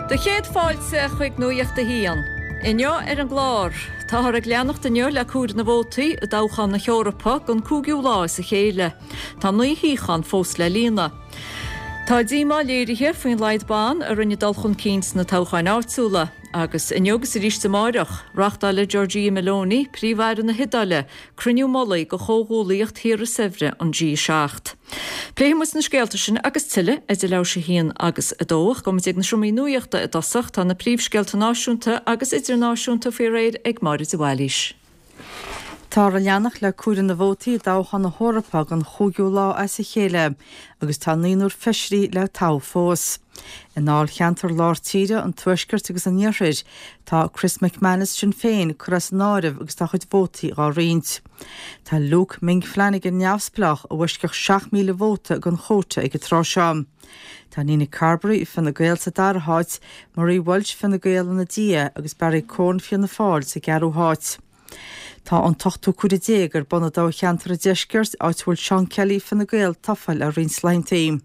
Do chéad fáilte chuig Nuacht a hAon. Inniu ar an gclár, táthar ag leanacht inniu le comhaireamh na vótaí i dtoghchán na hEorpa don cúigiú lá as a chéile. Tá 9 shuíochán fós le líonadh. Tá díomá léirithe faoin laghad ban a rinne dul chun cinn sna toghcháin áitiúla. Agus inniu agus arís amáireach, reáchtálfaidh Giorgia Meloni, Príomh-Aire na hIodáile, cruinniú mullaigh de Chomhghuallaíocht Thíortha Saibhre an G7. Pléifidh muid na scéalta sin agus tuilleadh idir leathuair tar éis a haon agus a dó ach gabhfaidh muid ag na seomraí nuachta i dtosach. Tá na príomhscéalta náisiúnta agus idirnáisiúnta faoi réir ag Máire de Bhailís. Táthar ag leanacht le comhaireamh na vótaí i dtoghchán na hEorpa don chúigiú lá as a chéile agus tá naonúr feisirí le toghadh fós. I ndáilcheantar lár tíre, an tuaiscirt agus an iarthair, tá Chris MacManus, Sinn Féin, curtha as an áireamh agus tá a chuid vótaí dhá roinnt. Tá Luke Ming Flanagan, Neamhspleách, i bhfoisceacht 7,000 vóta den chóta ag an tráth seo. Tá Nina Carberry, Fine Gael, sa dara háit, Marie Walsh, Fine Gael, ina diaidh agus Barry Cowen, Fianna Fáil, sa gceathrú háit. Tá an t-ochtú comhaireamh ar bun i dtoghcheantar an Deiscirt, áit a bhfuil Seán Kelly, Fine Gael, tofa le roinnt laethantaí.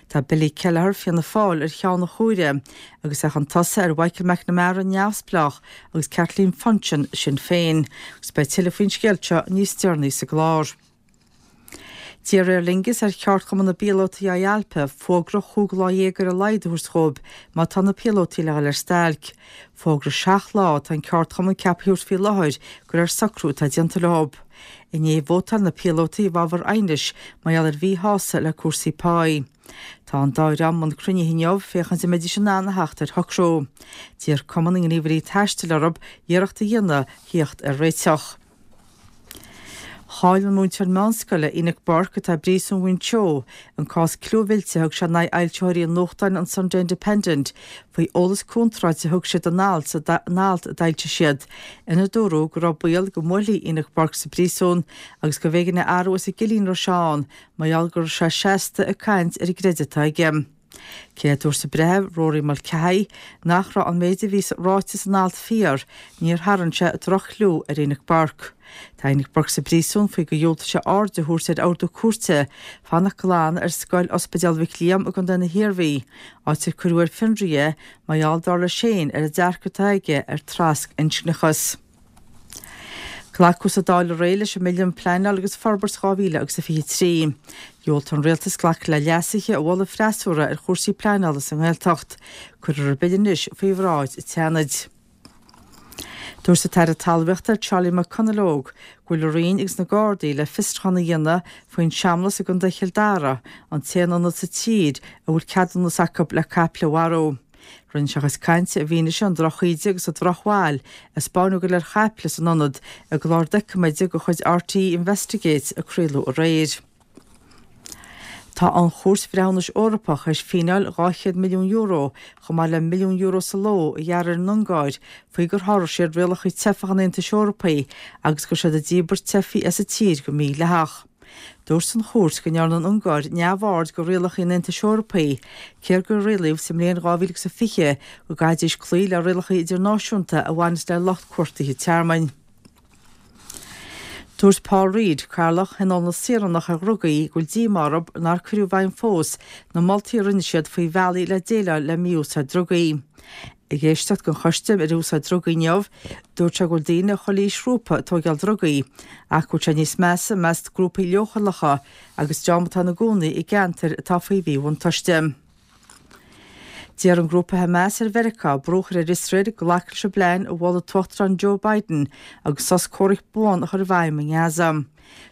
Tá Billy Kelleher, Fianna Fáil, ar cheann an chomhairimh agus é chun tosaigh ar Mhichael McNamara, Neamhspleách, agus Kathleen Funchion, Sinn Féin. Agus beidh tuilleadh faoin scéal seo níos deireanaí sa gclár. D'iarr Aer Lingus ar cheardchumann na bpíolótaí IALPA fógra chúig lá dhéag ar a laghad a thabhairt dhóibh má tá na píolótaí le dhul ar stailc. Fógra seacht lá atá an ceardchumann ceaptha a thabhairt faoi láthair de réir socrú atá déanta leo. Inné vótáil na píolótaí i bhfabhar aighnis mar gheall ar mhíshásamh le cúrsaí páí. Tá an dá dhream i mbun cruinnithe inniu féachaint an mbeidís in ann a theacht ar shocrú. D'iarr Cumann na nGníomhairí Taistil orthu iarracht a dhéanamh theacht ar réiteach. Chaill an múinteoir meánscoile, Enoch Burke, atá i bpríosún Mhuinseo, an cás clúmhillte a thug sé in aghaidh fhoilsitheoirí an nuachtáin an Sunday Independent faoi eolas contráilte a thug siad in alt a d'fhoilsigh siad ina dúradh go raibh baol go mbuailfí Enoch Burke sa bpríosún agus gurbh éigean é a athrú as an gcillín a raibh sé ann mar gheall go raibh sé seasta ag caint ar an gcreideamh atá aige. Cé a dúirt an breitheamh, Rory Mulcahy, nach raibh an méid a bhí ráite san alt fíor, níor tharraing sé droch-chliú ar Enoch Burke. Tá Enoch Burke sa bpríosún faoi gur dhiúltaigh sé aird a thabhairt ar ordú cúirte fanacht glan ar scoil Ospidéal Mhic Liam i gContae na hIarmhí, áit ar cuireadh ar fionraí é mar gheall, dar leis féin, ar an dearcadh atá aige ar thrasinscneachas. Glacadh sa Dáil aréir leis an mBille um Pleanáil agus Forbairt 2023. Dhiúltaigh an Rialtas glacadh le leasuithe a mhol an freasúra ar chúrsaí pleanála sa nGaeltacht. Cuirfear an Bille anois faoi bhráid an tSeanaid. Dúirt an tAire Talmhaíochta Charlie McConalogue go bhfuil a Roinn agus na Gardaí le fiosrúchán a dhéanamh faoin seamlas i gContae Chill Dara, an t-aon ionad sa tír a bhfuil ceadúnas acu le caiple a mharú. Rinne sé a chuid cainte i bhfianaise an drochíde agus an drochbhail a 'spáineadh go léir chaiple san ionad i gclár doiciméide de chuid RTÉ Investigates a craoladh aréir. Tá an Chúirt Bhreithiúnais Eorpach théis fíneáil €200 milliún chomh maith le €1 milliún sa ló a ghearradh ar an Ungáir faoi gur sháraigh siad rialacha teifeach an Aontais Eorpaigh agus go raibh siad ag díbirt teifigh as an tír go mídhleathach. Dúirt an chúirt go ndearna an Ungáir neamhaird de rialacha an Aontais Eorpaigh, cé gur rialaíodh sa mbliain 2020 go gcaithfidís cloí le rialacha idirnáisiúnta a bhaineas le lucht cuartaithe tearmainn. Dúirt Paul Reid, Cathaoirleach Thionól na Saoránach ar Dhrugaí, go bhfuil díomá orthu nár cuireadh i bhfeidhm fós na moltaí a rinne siad faoi bhealaí le déileáil le mí-úsáid drugaí. Ag éisteacht don Choiste ar Úsáid Drugaí inniu, dúirt sé go bhfuil daoine chuile aoisghrúpa ag tóigeáil drugaí, ach go bhfuil sé níos measa i measc grúpaí leochaileacha agus dream atá ina gcónaí i gceantair atá faoi mhíbhuntáiste. D'iarr an grúpa Hamas ar Mheiriceá brú a chur ar Iosrael glacadh leis an bplean a mhol an tUachtarán Joe Biden agus sos comhraic buan a chur i bhfeidhm i nGaza.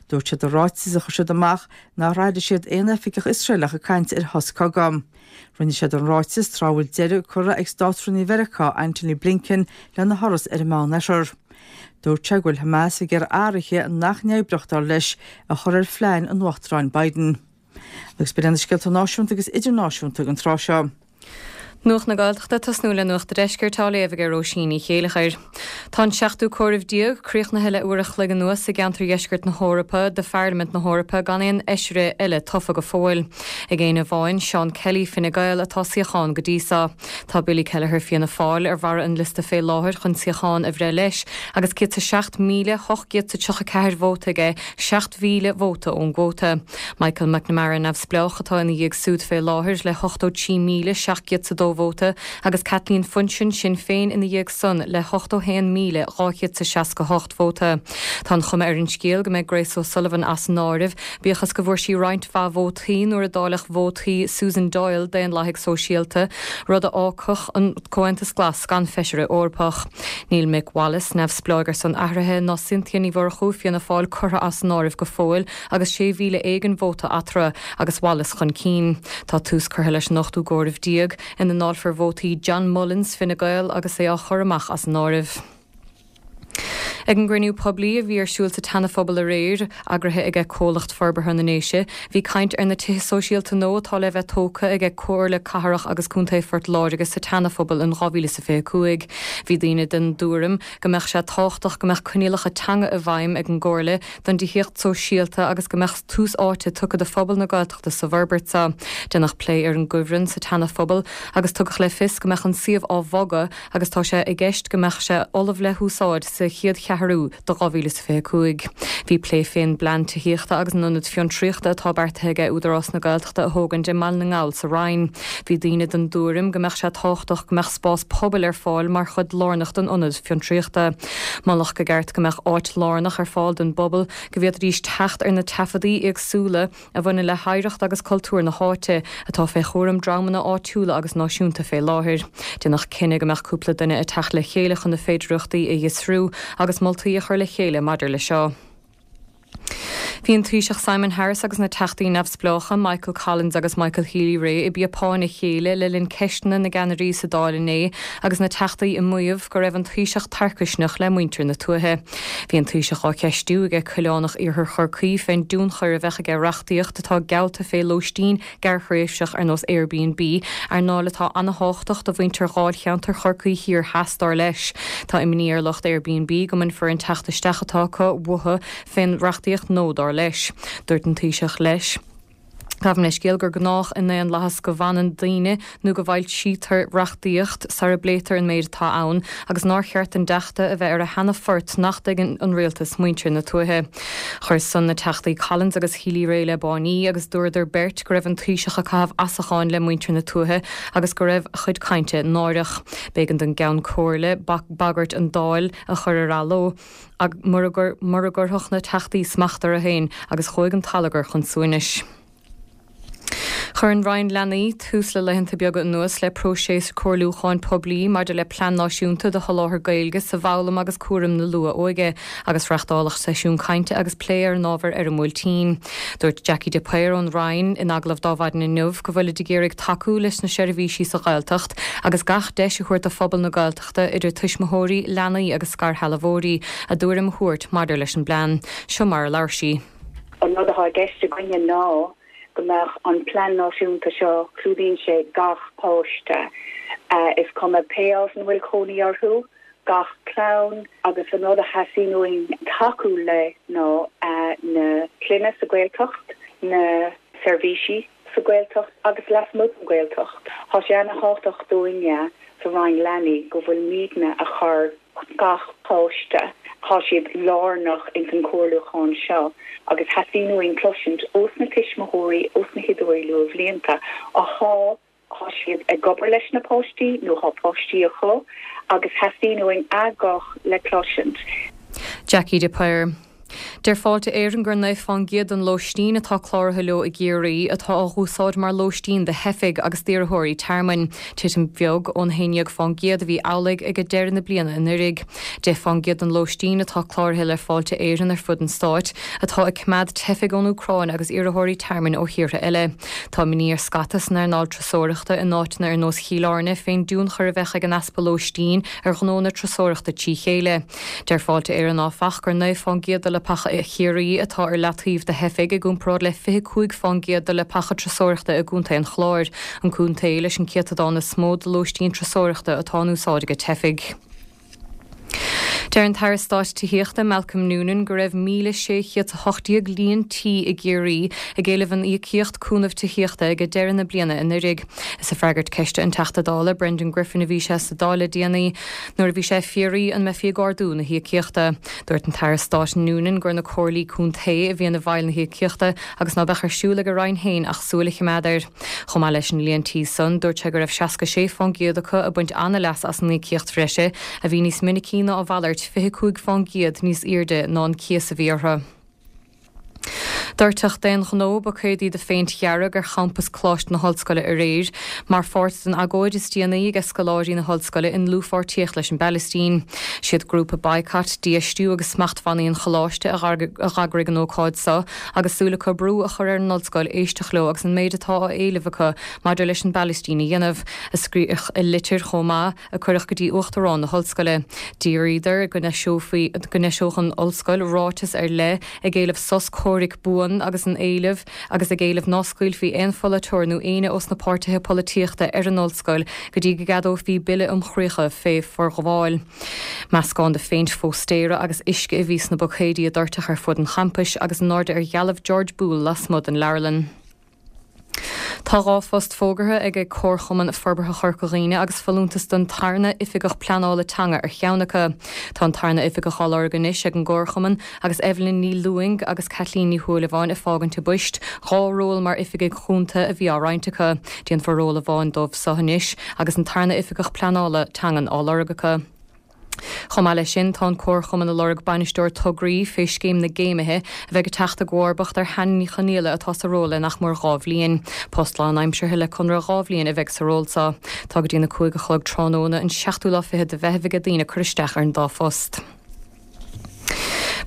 Dúirt siad i ráiteas a chuir siad amach nár airigh siad aon oifigeach Iosraelach ag caint ar shos cogaidh. Rinne siad an ráiteas tráth a bhfuil deireadh curtha ag Státrúnaí Mheiriceá Antony Blinken lena thuras ar an Meánoirthear. Dúirt sé go bhfuil Hamas ag iarraidh athruithe nach n-oibreodh, dar leis, a chur ar phlean an Uachtaráin Biden. Agus b'in iad na scéalta náisiúnta agus idirnáisiúnta don tráth seo. Nuacht na Gaeltachta ag tosnú le Nuacht an Deiscirt á léamh ag Róisín Ní Chéileachair. Tá an seachtú comhaireamh críochnaithe le uair a chloig anuas i gceantar dheisceart na hEorpa do Pharlaimint na hEorpa gan aon fheisire eile tofa go fóill. Ag éinne amháin, Seán Kelly, Fine Gael, atá suíochán go dtí so. Tá Billy Kelleher, Fianna Fáil, ar bharra an liosta fé láthair chun suíochán a bhreith leis agus 107,834 vóta aige, 7,000 vóta ón gcuóta. Michael McNamara, Neamhspleách, atá ina dhiaidh súd fé láthair le 83,702. 1,272 vóta agus Kathleen Funchion, Sinn Féin, ina dhiaidh san le 81,268 vóta. Tá an chuma ar an scéal go mbeidh Grace O'Sullivan as an áireamh, bíodh is go bhfuair sí roinnt mhaith vótaí nuair a dáileadh vótaí Susan Doyle, Daonlathaigh Sóisialta, rud a fhágfadh an Comhaontas Glas gan feisire Eorpach. Níl Mick Wallace, Neamhspleáigh ar son Athraithe, ná Cynthia Ní Mhurchú, Fianna Fáil, curtha as an áireamh go fóill agus 6,000 éigin vóta eatarthu agus Wallace chun cinn. Tá tús curtha leis an ochtú gcomhaireamh déag, ina ndáilfear vótaí John Mullins, Fine Gael, agus é á chur amach as an áireamh. Ag an gcruinniú poiblí a bhí ar siúl sa tSeana-Phobal aréir, eagraithe aige Comhlacht Forbartha na nDéise, bhí caint ar na tithe sóisialta nua atá le bheith tógtha aige Comhairle Cathrach agus Contae Phort Láirge sa tSeana-Phobal in 2025. Bhí daoine den dtuairim go mbeadh sé tábhachtach go mbeadh coinníollacha teanga i bhfeidhm ag an gComhairle don dtithíocht sóisialta agus go mbeadh tús áite tugtha do phobal na Gaeltachta sa bhforbairt seo. Déanadh plé ar an gcuibhreann sa tSeana-Phobal agus tugadh le fios go mbeadh an suíomh á bhogadh agus tá sé i gceist go mbeadh sé ullamh le húsáid sa chéad cheathrú de 2025. Bhí plé fén bplean tithíochta agus an ionad fiontraíochta atá beartaithe aige Údarás na Gaeltachta a thógaint i mBaile na nGall sa Rinn. Bhí daoine den dtuairim go mbeadh sé tábhachtach go mbeadh spás pobail ar fáil mar chuid lárnach den ionad fiontraíochta. Moladh go gceart go mbeadh áit lárnach ar fáil don bpobal go bhféadfaidís teacht ar na taifeadaí éagsúla a bhaineann le hoidhreacht agus cultúr na háite, atá fé chúram dreamanna áitiúla agus náisiúnta fé láthair. Déanadh cinneadh go mbeadh cúpla duine ag teacht le chéile chun na féidireachtaí a fhiosrú agus moltaí a chur le chéile maidir le seo. Bhí an Taoiseach Simon Harris agus na Teachtaí Neamhspleácha Michael Collins agus Michael Healy-Rae i bpíopáin a chéile le linn ceisteanna na gceannairí sa Dáil inné agus na Teachtaí ag maíomh go raibh an Taoiseach tarcaisneach le muintir na tuaithe. Bhí an Taoiseach á cheistiú aige Coileánach Iarthar Chorcaí fén dtionchar a bheadh aige reachtaíocht atá geallta fé lóistín gearrthréimhseach ar nós Airbnb, earnáil atá ana-thábhachtach do mhuintir dháilcheantar Chorcaí Thiar Theas dar leis. Tá imní ar lucht Airbnb go mbainfear an teacht isteach atá acu uathu fén reachtaíocht nua dar leis. Dúirt an Taoiseach leis. Gabhaim leithscéal gur gnách i ndaonlathas go bhfanann daoine nó go bhfoilsítear reachtaíocht sara bpléitear an méid atá ann agus nár cheart don dTeachta a bheith ar a sheana-phort nach dtuigeann an Rialtas muintir na tuaithe. Chuir san na Teachtaí Collins agus Healy-Rae le báiní agus dúradar beirt go raibh an Taoiseach ag caitheamh asacháin le muintir na tuaithe agus go raibh a chuid cainte náireach. B'éigean don gCeann Comhairle bagairt an Dáil a chur ar athló. mura gcuirfeadh na Teachtaí smacht orthu féin agus chuaigh an t-allagar chun suaimhnis. Chuir an Roinn Leanaí tús le laethanta beaga anuas le próiseas comhairliúcháin poiblí maidir le Plean Náisiúnta do sholáthar Gaeilge sa bhfoghlaim agus cúram na luath-óige agus reachtáladh seisiún cainte agus plé ar an ábhar ar an mBuailtín. Dúirt Jackie de Paor ón Roinn in agallamh d'Adhmhaidin inniu go bhfuilid ag iarraidh tacú leis na seirbhísí sa Ghaeltacht agus gach deis a thabhairt do phobal na Gaeltachta idir tuismitheoirí, leanaí agus scairshealbhóirí, a dtuairim a thabhairt maidir leis an bplean. Seo mar a labhair sí. An rud atá i gceist againne ná go mbeadh an plean náisiúnta seo, clúdaíonn sé gach páiste, is cuma pé áit ina bhfuil cónaí orthu, gach clann, agus an rud a theastaíonn uainn tacú le ná na clainne sa Ghaeltacht, na seirbhísí sa Ghaeltacht agus lasmuigh den Ghaeltacht. Tá sé ana-thábhachtach dúinne sa Roinn Leanaí go bhfuilimidne a chur gach páiste, tá siad lárnach ins an chomhairliúchán seo agus theastaíonn uainn cloisint ós na tuismitheoirí, ós na hoideoirí luathbhlianta athá thá siad ag obair leis na páistí nó thá páistí acu agus theastaíonn uainn a nguth le cloisint. Jackie de Paor. Deir Fáilte Éireann gur 9 fán gcéad den lóistín atá cláraithe leo i gCiarraí atá á dh'úsáid mar lóistín do theifigh agus d'iarrthóirí tearmainn, titim bheag ón 11 fán gcéad a bhí amhlaidh ag deireadh na bliana anuraidh. 10 fán gcéad den lóistín atá cláraithe le Fáilte Éireann ar fud an stáit atá ag coimeád teifigh ón Úcráin agus iarrthóirí tearmainn ó thíortha eile. Tá imní ar scata san earnáil turasóireachta in áiteanna ar nós Chill Airne fén dtionchar a bheadh ag an easpa lóistín ar ghnó na turasóireachta trí chéile. Deir Fáilte Éireann áfach gur 9 fán gcéad de leapacha i Chiarraí atá ar leataobh do theifigh i gcomparáid le 25 fán gcéad de leapacha turasóireachta i gContae an Chláir, an contae leis an céatadán is mó de lóistín turasóireachta atá in úsáid ag teifigh. Deir an tAire Stáit Tithíochta Malcolm Noonan go raibh 1,618 líon tí i gCiarraí ag éileamh an íocaíocht cúnamh tithíochta ag deireadh na bliana anuraidh. Is ag freagairt ceiste an Teachta Dála Brendan Griffin a bhí sé sa Dáil le déanaí nuair a bhí sé ag fiafraí an mbeifí ag ardú na híocaíochta. Dúirt an tAire Stáit Noonan gur na comhairlí contae a bhíonn i bhfeighil na híocaíochta agus ná beadh ar siúl ag a Roinn féin ach súil a chimeád air. Chomh maith leis an líon tí san, dúirt sé go raibh 66 fán gcéad acu ag baint ana-leas as an íocaíocht bhreise, a bhí níos minicí ná a mhalairt, 25 fán gcéad níos aoirde ná an cíos a bhí orthu. Doirteadh d'aon ghnó buicéadaí de phéint dhearg ar champas Coláiste na hOllscoile aréir, mar pháirt den agóid is déanaí aige scoláirí na hOllscoile i ndlúthpháirtíocht leis an bPalaistín. Siad grúpa Boycott, Dífheistiú agus Smachtbhannaí an Choláiste a dh'eagraigh an ócáid so, agus súil acu brú a chur ar an ollscoil éisteacht leo agus an méid atá á éileamh acu maidir leis an bPalaistín a dhéanamh, a scríodh i litir chomh maith a cuireadh go dtí Uachtarán na hOllscoile. D'iarraíodar go n-eiseofaí, go n-eiseodh an ollscoil ráiteas ar leith ag éileamh sos comhraic buan agus an éileamh agus ag éileamh ná scaoilfí aon pholaiteoir nó éinne ós na páirtithe polaitíochta ar an ollscoil go dtí go gceadófaí bille um chraochadh fé forghabháil. Meascán de phéint phóstaera agus uisce a bhí sna buicéidí a doirteadh ar fud an champais agus in airde ar dhealbh George Boole lasmuigh den leabharlann. Tá 2 phost fógartha ag ag Comharchumann Forbartha Chorca Dhuibhne agus folúntas don tarna Oifigeach Pleanála Teanga ar cheann acu. Tá an tarna oifigeach á lorg anois ag an gComharchumann agus Evelyn Ní Lúing agus Caitlín Ní Shúilleabháin ag fágaint a bpoist, 2 ról mar oifigigh chúnta a bhí á roinnt acu. Déanfar ról amháin dóibh so anois agus an tarna Oifigeach Pleanála Teangan á lorg acu. Chomh maith leis sin, tá an Comharchumann ag lorg Bainisteoir Tograí fé Scéim na gCéimithe a bheidh ag teacht i gcomharbacht ar Hannah Ní Chonaola atá sa ról le nach mór 2 bhliain. Post lánaimseartha le conradh 2 bhliain a bheidh sa ról so. Tá go dtí na 5 a chlog tráthnóna an seachtú lá fichead de Mheitheamh aige daoine cur isteach ar an dá phost.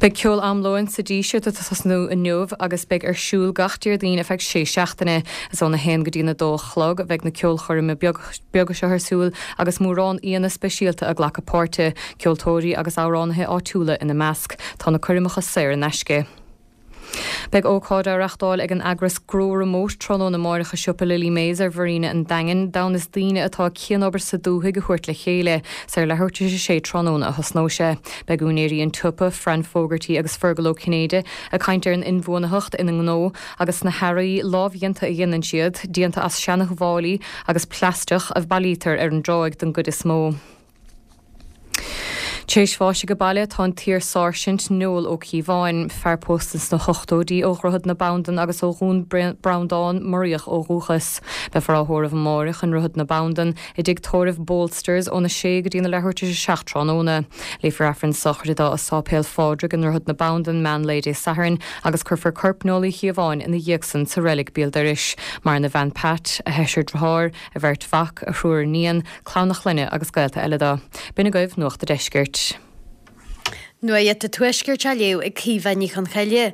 Beidh ceol am lóin sa Díseart ag tosnú inniu agus beidh ar siúl gach Déardaoin ar feadh sé seachtaine. Is óna haon go dtí'n 2 a chlog a bheidh na ceolchoirme beaga seo ar siúl agus mórán aíonna speisialta ag glacadh páirte, ceoltóirí agus amhránaithe áitiúla ina measc. Tá na coirmeacha saor in aisce. Beidh ócáid á reachtáil ag an eagras Grow Remote tráthnóna amáireach i siopa Lily May's ar Mharina an Daingin, d'fhonn is daoine atá ag cianobair sa dúthaigh a thabhairt le chéile. Is ar leathuair tar éis a sé tráthnóna a thosnóidh sé. Beidh úinéirí an tsiopa, Fran Fogarty agus Fergal Ó Cinnéide, ag caint ar an inbhuanaitheacht ina ngnó agus sna hearraí lámhdhéanta a dhéanann siad, déanta as seana-mhálaí agus plaisteach a bhailítear ar an dtráigh don gcuid is mó. Tar éis bháis age baile tá an t-iar-sáirsint Noel Ó Cíobháin, fear pósta sna hochtóidí ó Dhroichead na Bandan agus ó Dhún Breandán, Muraíoch ó dhúchas. Beifear á thórramh amáireach i nDroichead na Bandan i dtigh tórraimh Bolsters óna sé go dtína leathuair tar éis a 7 tráthnóna. Léifear Aifreann sochraide dó i Sáipéal Phádraig i nDroichead na Bandan meán lae Dé Sathairn agus cuirfear corp Noel Uí Chíobháin ina dhiaidh san sa reilig béal dorais. Maireann a bhean Pat, a sheisear driotháir, a bheirt mhac, a thriúr iníon, clann a chlainne agus gaolta eile dó. B'in agaibh Nuacht a' Deiscirt. Nuacht a' Tuaiscirt á léamh ag Caoimhe Ní Chonchoille.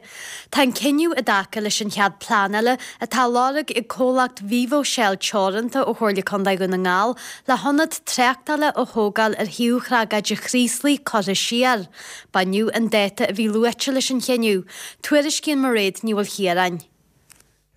Tá an cinneadh i dtaca leis an chead pleanála atá á lorg ag comhlacht Vivo Shell Teoranta ó Chomhairle Contae Dhún na nGall le hionad tráchtála a thógáil ar thaobh thragóide Chraoslaigh curtha siar. B'inniu an dáta a bhí luaite leis an chinneadh. Tuairiscíonn Mairéad Ní Mhaoilchiaráin.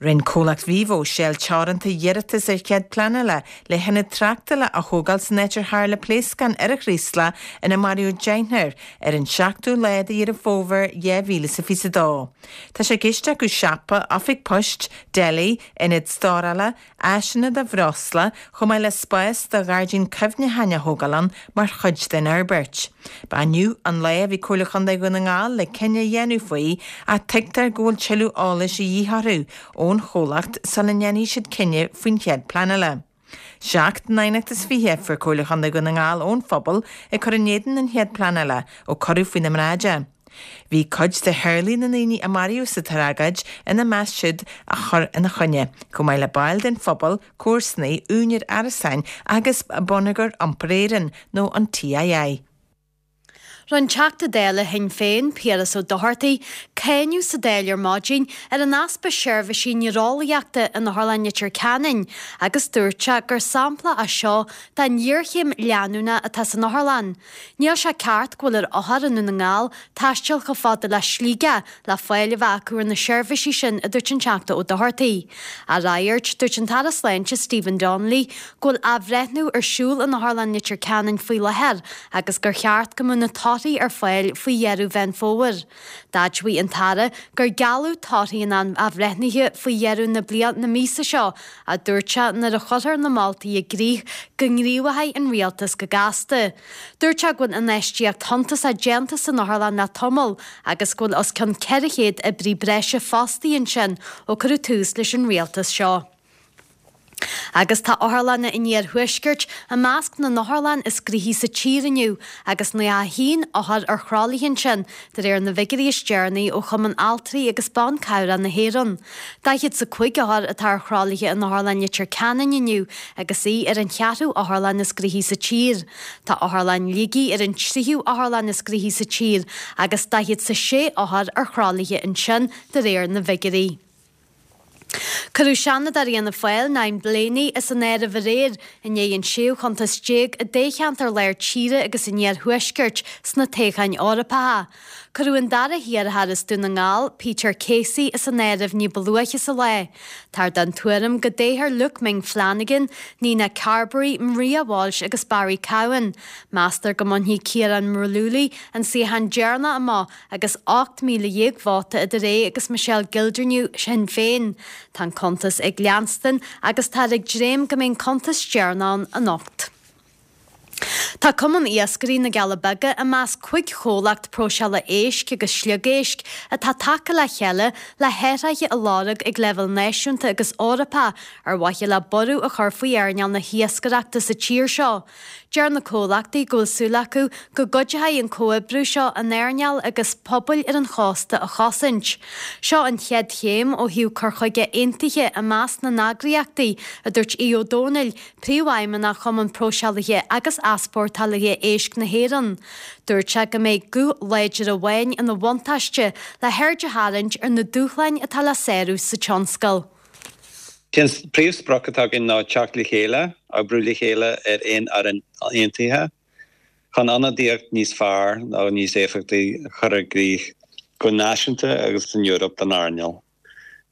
Rinne comhlacht Vivo Shell Teoranta iarratas ar chead pleanála le hionad tráchtála a thógáil san áit ar tharla pléascán ar an Chraoslach ina maraíodh deichniúr ar an seachtú lá de Dheireadh Fómhair 2022. Tá sé i gceist acu siopa, oifig poist, deli, ionad stórála, áiseanna do bhreosla, chomh maith le spás do ghairdín cuimhneacháin a thógáil ann mar chuid den fhorbairt. Ba inniu an lá a bhí Comhairle Chontae Dhún na nGall le cinneadh a dhéanamh faoi ach tuigtear go bhfuil tuilleadh eolais a dhíth orthu ón chomhlacht sula ndéanfaidh siad cinneadh faoin chead pleanála. Seacht n-aighneacht is 20 a fuair Comhairle Chontae Dhún na nGall ón phobal ag cur in éadan an chead pleanála ó cuireadh faoina mbráid é. Bhí cuid de theaghlaigh na ndaoine a maraíodh sa tragóid ina measc siúd a chuir ina choinne, chomh maith le baill den phobal, comharsanaigh, úinéir árasáin agus Bonneagar Iompair Éireann nó an TII. Rinne Teachta Dála Shinn Féin, Piaras Ó Dochartaigh, cáineadh sa Dáil ar maidin ar an easpa seirbhísí néareolaíochta in Otharlann Leitir Ceanainn agus dúirt sé gur sampla é seo den ghéarchéim leanúnach atá san otharlann. Níl sé ceart go bhfuil ar othair i nDún na nGall taisteal chomh fada le Sligeach le fáil a bheith acu ar na seirbhísí sin, a dúirt an Teachta Ó Dochartaigh. Á fhreagairt, dúirt an tAire Sláinte Stephen Donnelly go bhfuil athbhreithniú ar siúl in Otharlann Leitir Ceanainn faoi láthair agus gur cheart go mbeadh na torthaí. torthaí ar fáil faoi dheireadh Mheán Fómhair. D'admhaigh an tAire gur gealladh torthaí an athbhreithnithe faoi dheireadh na bliana na míosa seo ach dúirt sé nuair a chuirfear na moltaí i gcrích go ngníomhóidh an Rialtas go gasta. Dúirt sé go bhfuil infheistíocht shuntasach déanta san otharlann le tamall agus go bhfuil os cionn 400 oibrí breise fostaithe ansin ó cuireadh tús leis an rialtas seo. Agus tá otharlanna an iarthuaiscirt i measc na n-otharlann is gnoithí sa tír inniu agus 91 othar ar thralaithe ansin, de réir na bhfigiúirí is deireanaí ó Chumann Altraí agus Ban Cabhrach na hÉireann. 45 othar atá ar thralaithe in Otharlann Leitir Ceanainn inniu agus í ar an cheathrú otharlann is gnoithí sa tír. Tá Otharlann Shligigh ar an tríú otharlann is gnoithí sa tír agus 46 othar ar thralaithe ansin de réir na bhfigiúirí. Cuireadh Seanadóir Fhianna Fáil, Niamh Blaney, as an áireamh aréir i ndiaidh an séú chuntas déag i dtoghcheantar Lár Tíre agus an Iarthuaiscirt sna toghcháin Eorpacha. Cuireadh an dara hiarrthóir as Dún na nGall, Peter Casey, as an áireamh ní ba luaithe sa lá. Táthar den tuairim go dtoghfar Luke Ming Flanagan, Nina Carberry, Maria Walsh agus Barry Cowen. Meastar go mbainfidh Ciarán Mullooly an suíochán deireanach amach agus 18,000 vóta idir é agus Michelle Gildernew, Shinn Féin. Tá an cuntas ag leanstan agus táthar ag dréim go mbeidh an cuntas deireanach ann anocht. Tá Cumann Iascairí na gCealla Beaga i measc 5 chomhlacht próiseála éisc agus sliogéisc atá tagtha le chéile le hathruithe a lorg ag leibhéal náisiúnta agus Eorpach ar mhaithe le borradh a chur faoi earnáil na hiascaireachta sa tír seo. Deir na comhlachtaí go bhfuil súil acu go gcuideoidh an comhoibriú seo an earnáil agus pobail ar an chósta a chosaint. Seo an chéad chéim ó thaobh cur chuige aontaithe i measc na n-eagraíochtaí, a dúirt Aodh Ó Domhnaill, Príomhfheidhmeannach Chumann Próiseálaithe agus Easpórtálaithe Éisc na hÉireann. Dúirt sé go mbeidh guth láidir amháin ina bhuntáiste le haird a tharraingt ar na dúshláin atá le sárú sa tionscal. Sé an príomhsprioc atá againn ná teacht le chéile, oibriú le chéile ar aon fhoireann aontaithe chun ionadaíocht níos fearr nó níos éifeachtaí a chur i gcrích go náisiúnta agus san Eoraip don earnáil.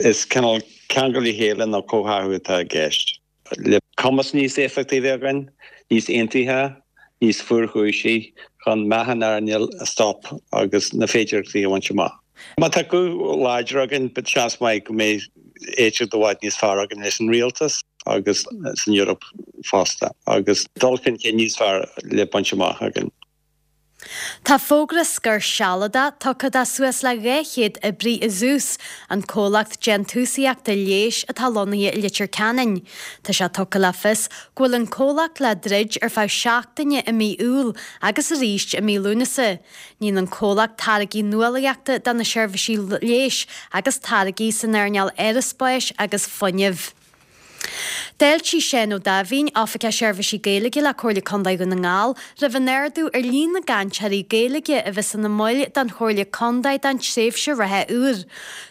Is cineál ceangal le chéile nó comhtháthú atá i gceist. Le cumas níos éifeachtaí a bheith againn, níos aontaithe, níos fuarchúisí chun meath an earnáil a stop agus na féidearthachtaí a bhaint amach. Má tá guth láidir againn, seans maith go mbeidh éisteacht i bhfad níos fearr againn leis an rialtas agus san Eoraip fosta agus dul chun cinn níos fearr le baint amach againn. Tá fógra scor sealadach tugtha do suas le 200 oibrí i Zeus, an comhlacht déantúsaíochta leighis atá lonnaithe i Leitir Ceanainn. Tá sé tugtha le fios go bhfuil an comhlacht le druid ar feadh seachtaine i mí Iúil agus arís i mí Lúnasa. Níonn an comhlacht táirgí nuálaíochta do na seirbhísí leighis agus táirgí san earnáil aeraspáis agus fuinnimh. D'fháiltigh Seán Ó Daimhín, Oifigeach Seirbhísí Gaeilge le Comhairle Contae Dhún na nGall, roimh an ardú ar líon na gcainteoirí Gaeilge a bheas ina mbaill den Chomhairle Contae don tréimhse reatha úr.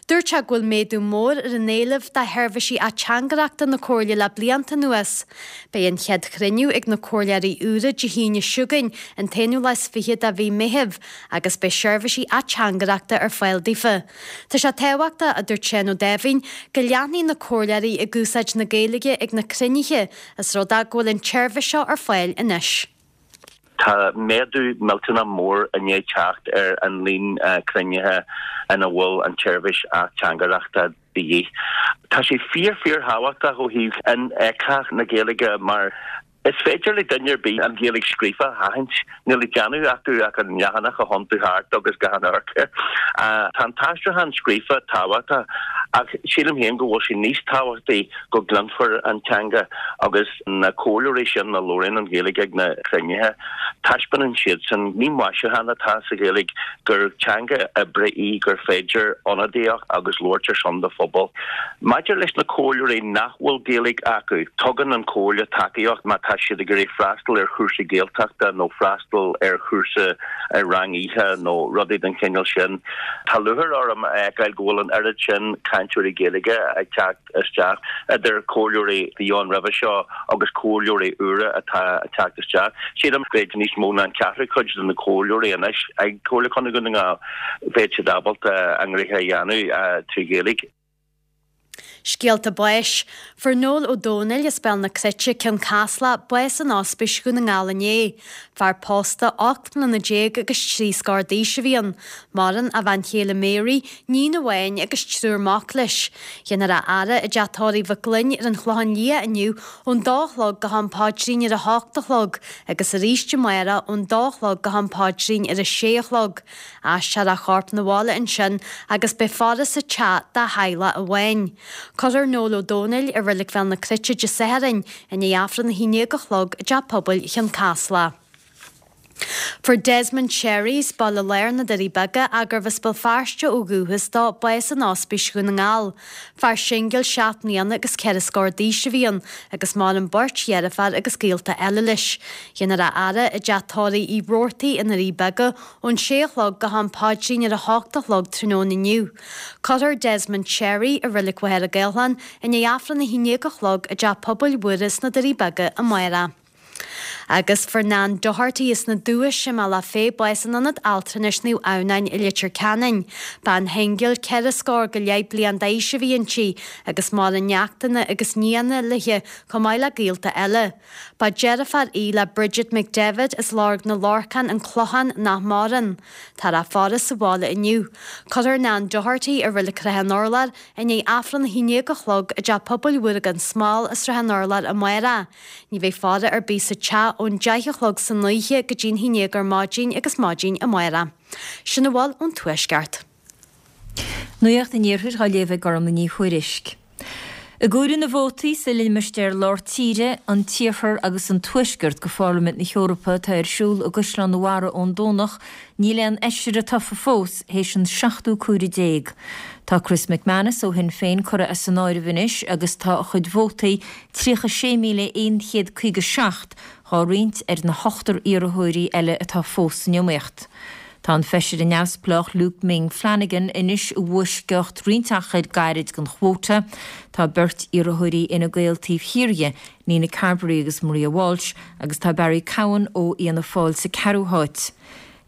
Dúirt sé go bhfuil méadú mór ar an éileamh do sheirbhísí ateangaireachta na Comhairle le blianta anuas. Beidh an chéad chruinniú ag na Comhairleoirí úra Dé hAoine seo chugainn, an t-aonú lá is fiche de mhí Meithimh, agus beidh seirbhísí ateangaireachta ar fáil daofa. Tá sé tábhachtach, a dúirt Seán Ó Daimhín, go leanfaidh na comhairleoirí ag úsáid na Gaeilge ag na cruinnithe, is rud é go bhfuil an tseirbhís seo ar fáil anois. Tá méadú millteanach mór i ndiaidh teacht ar an líon cruinnithe ina bhfuil an tseirbhís ateangaireachta de dhíth. Tá sé fíor fíor thábhachtach ó thaobh infheictheacht na Gaeilge mar Is féidir le duine ar bith an Ghaeilge scríofa a aithint. Níl le déanamh acu ach an leathanach a thiontú thart agus gan amharc air. Tá an t-aistriúchán scríofa tábhachtach ach sílim féin go bhfuil sé níos tábhachtaí go gcluinfear an teanga agus na comhairleoirí sin a labhraíonn an Ghaeilge ag na cruinnithe, taispeánann siadsan, ní maisiúchán atá sa Ghaeilge, gur teanga oibre í gur féidir ionadaíocht agus labhairt ar son do phobail. Maidir leis na comhairleoirí nach bhfuil Gaeilge acu, tugann an Chomhairle tacaíocht má tá siad ag iarraidh freastal ar chúrsa Gaeltachta nó freastal ar chúrsa ar rang oíche nó rudaí den chineál sin. Tá lúcháir orm a fheiceáil go bhfuil an oiread sin cainteoirí Gaeilge ag teacht isteach, idir comhairleoirí a bhí ann roimhe seo agus comhairleoirí úra atá ag teacht isteach. Sílim go bhfuil níos mó ná an ceathrú cuid de na comhairleoirí anois ag Comhairle Contae Dhún na nGall, bheadh siad ábalta a ngnoithe a dhéanamh trí Ghaeilge. Scéalta báis. Fuair Noel Ó Domhnaill as Béal na Cruite, Cionn Caslach, bás in Ospís Dhún na nGall inné. Fear pósta, 18 mbliana agus 3 scór d'aois a bhí ann. Maireann a bhean chéile Mary, níon amháin agus triúr mac leis. Déanfar a fhaire i dteach tórraimh Mhic Gloinn ar an Chlochán Liath inniu ón dó a chlog go ham paidrín ar a hocht a chlog agus arís amárach ón dó a chlog go ham paidrín ar a sé a chlog. Aistreofar a chorp 'na bhaile ansin agus beidh faire sa teach dá theaghlach amháin. Cuirfear Noel Ó Domhnaill i Reilig Bhéal na Cruite Dé Sathairn i ndiaidh Aifreann 11 a chlog i dTeach Pobail Chionn Caslach. Fuair Desmond Sherry as Baile Láir na Doirí Beaga, ach gurbh as Béal Feirste ó dhúchas dó, bás in Ospís Dhún na nGall. Fear singil 7 mbliana agus 4 scór d'aois a bhí ann agus maireann beirt dheirféar agus gaolta eile leis. Déanfar a fhaire i dteach tórraimh Uí Robhartaigh i nDoirí Beaga ón sé a chlog go ham paidrín ar a hocht a chlog tráthnóna inniu. Cuirfear Desmond Sherry i Reilig Mhachaire Gathlán i ndiaidh Aifreann 11 a chlog i dTeach Pobail Mhuire sna Doirí Beaga amárach. Agus fuair Nan Doherty as na Dúiche i mBealach Féich bás in Ionad Altranais Naomh Adhamhnáin i Leitir Ceanainn. Bean shingil 4 scór go leith bliain d'aois a bhí inti agus maireann neachtanna agus nianna léi chomh maith le gaolta eile. Ba deirfiúr í le Bridget McDevitt as Lorg na Lorcán, An Clochán, nach maireann. Táthar á faire sa bhaile inniu. Cuirfear Nan Doherty i Reilig Shrath an Urláir i ndiaidh Aifreann 11 a chlog i dTeach Pobail Mhuire gan Smál i Srath an Urláir amárach. Ní bheidh faire ar bith sa teach ón 10 a chlog san oíche go dtí'n 11 ar maidin agus maidin amárach. Sin a bhfuil ón Tuaisceart. Nuacht an Iarthair á léamh ag Gormlaith Ní Thuairisg. I gcomhaireamh na vótaí sa limistéar lár tíre, an tIarthar agus an Tuaisceart go Pharlaimint na hEorpa atá ar siúl i gCaisleán an Bharraigh ón Domhnach, níl aon fheisire tofa fós théis an seachtú comhaireamh déag. Tá Chris McManus ó Shinn Féin curtha as an áireamh anois agus tá a chuid vótaí, 36,157, dhá roinnt ar na hochtar iarrthóirí eile atá fós san iomaíocht. Tá an feisire neamhspleách Luke Ming Flanagan anois i bhfoisceacht roinnt achair gairid den chuóta. Tá beirt iarrthóirí Fhine Gael taobh thiar dhe, Nina Carberry agus Maria Walsh, agus tá Barry Cowen ó Fhianna Fáil sa ceathrú háit.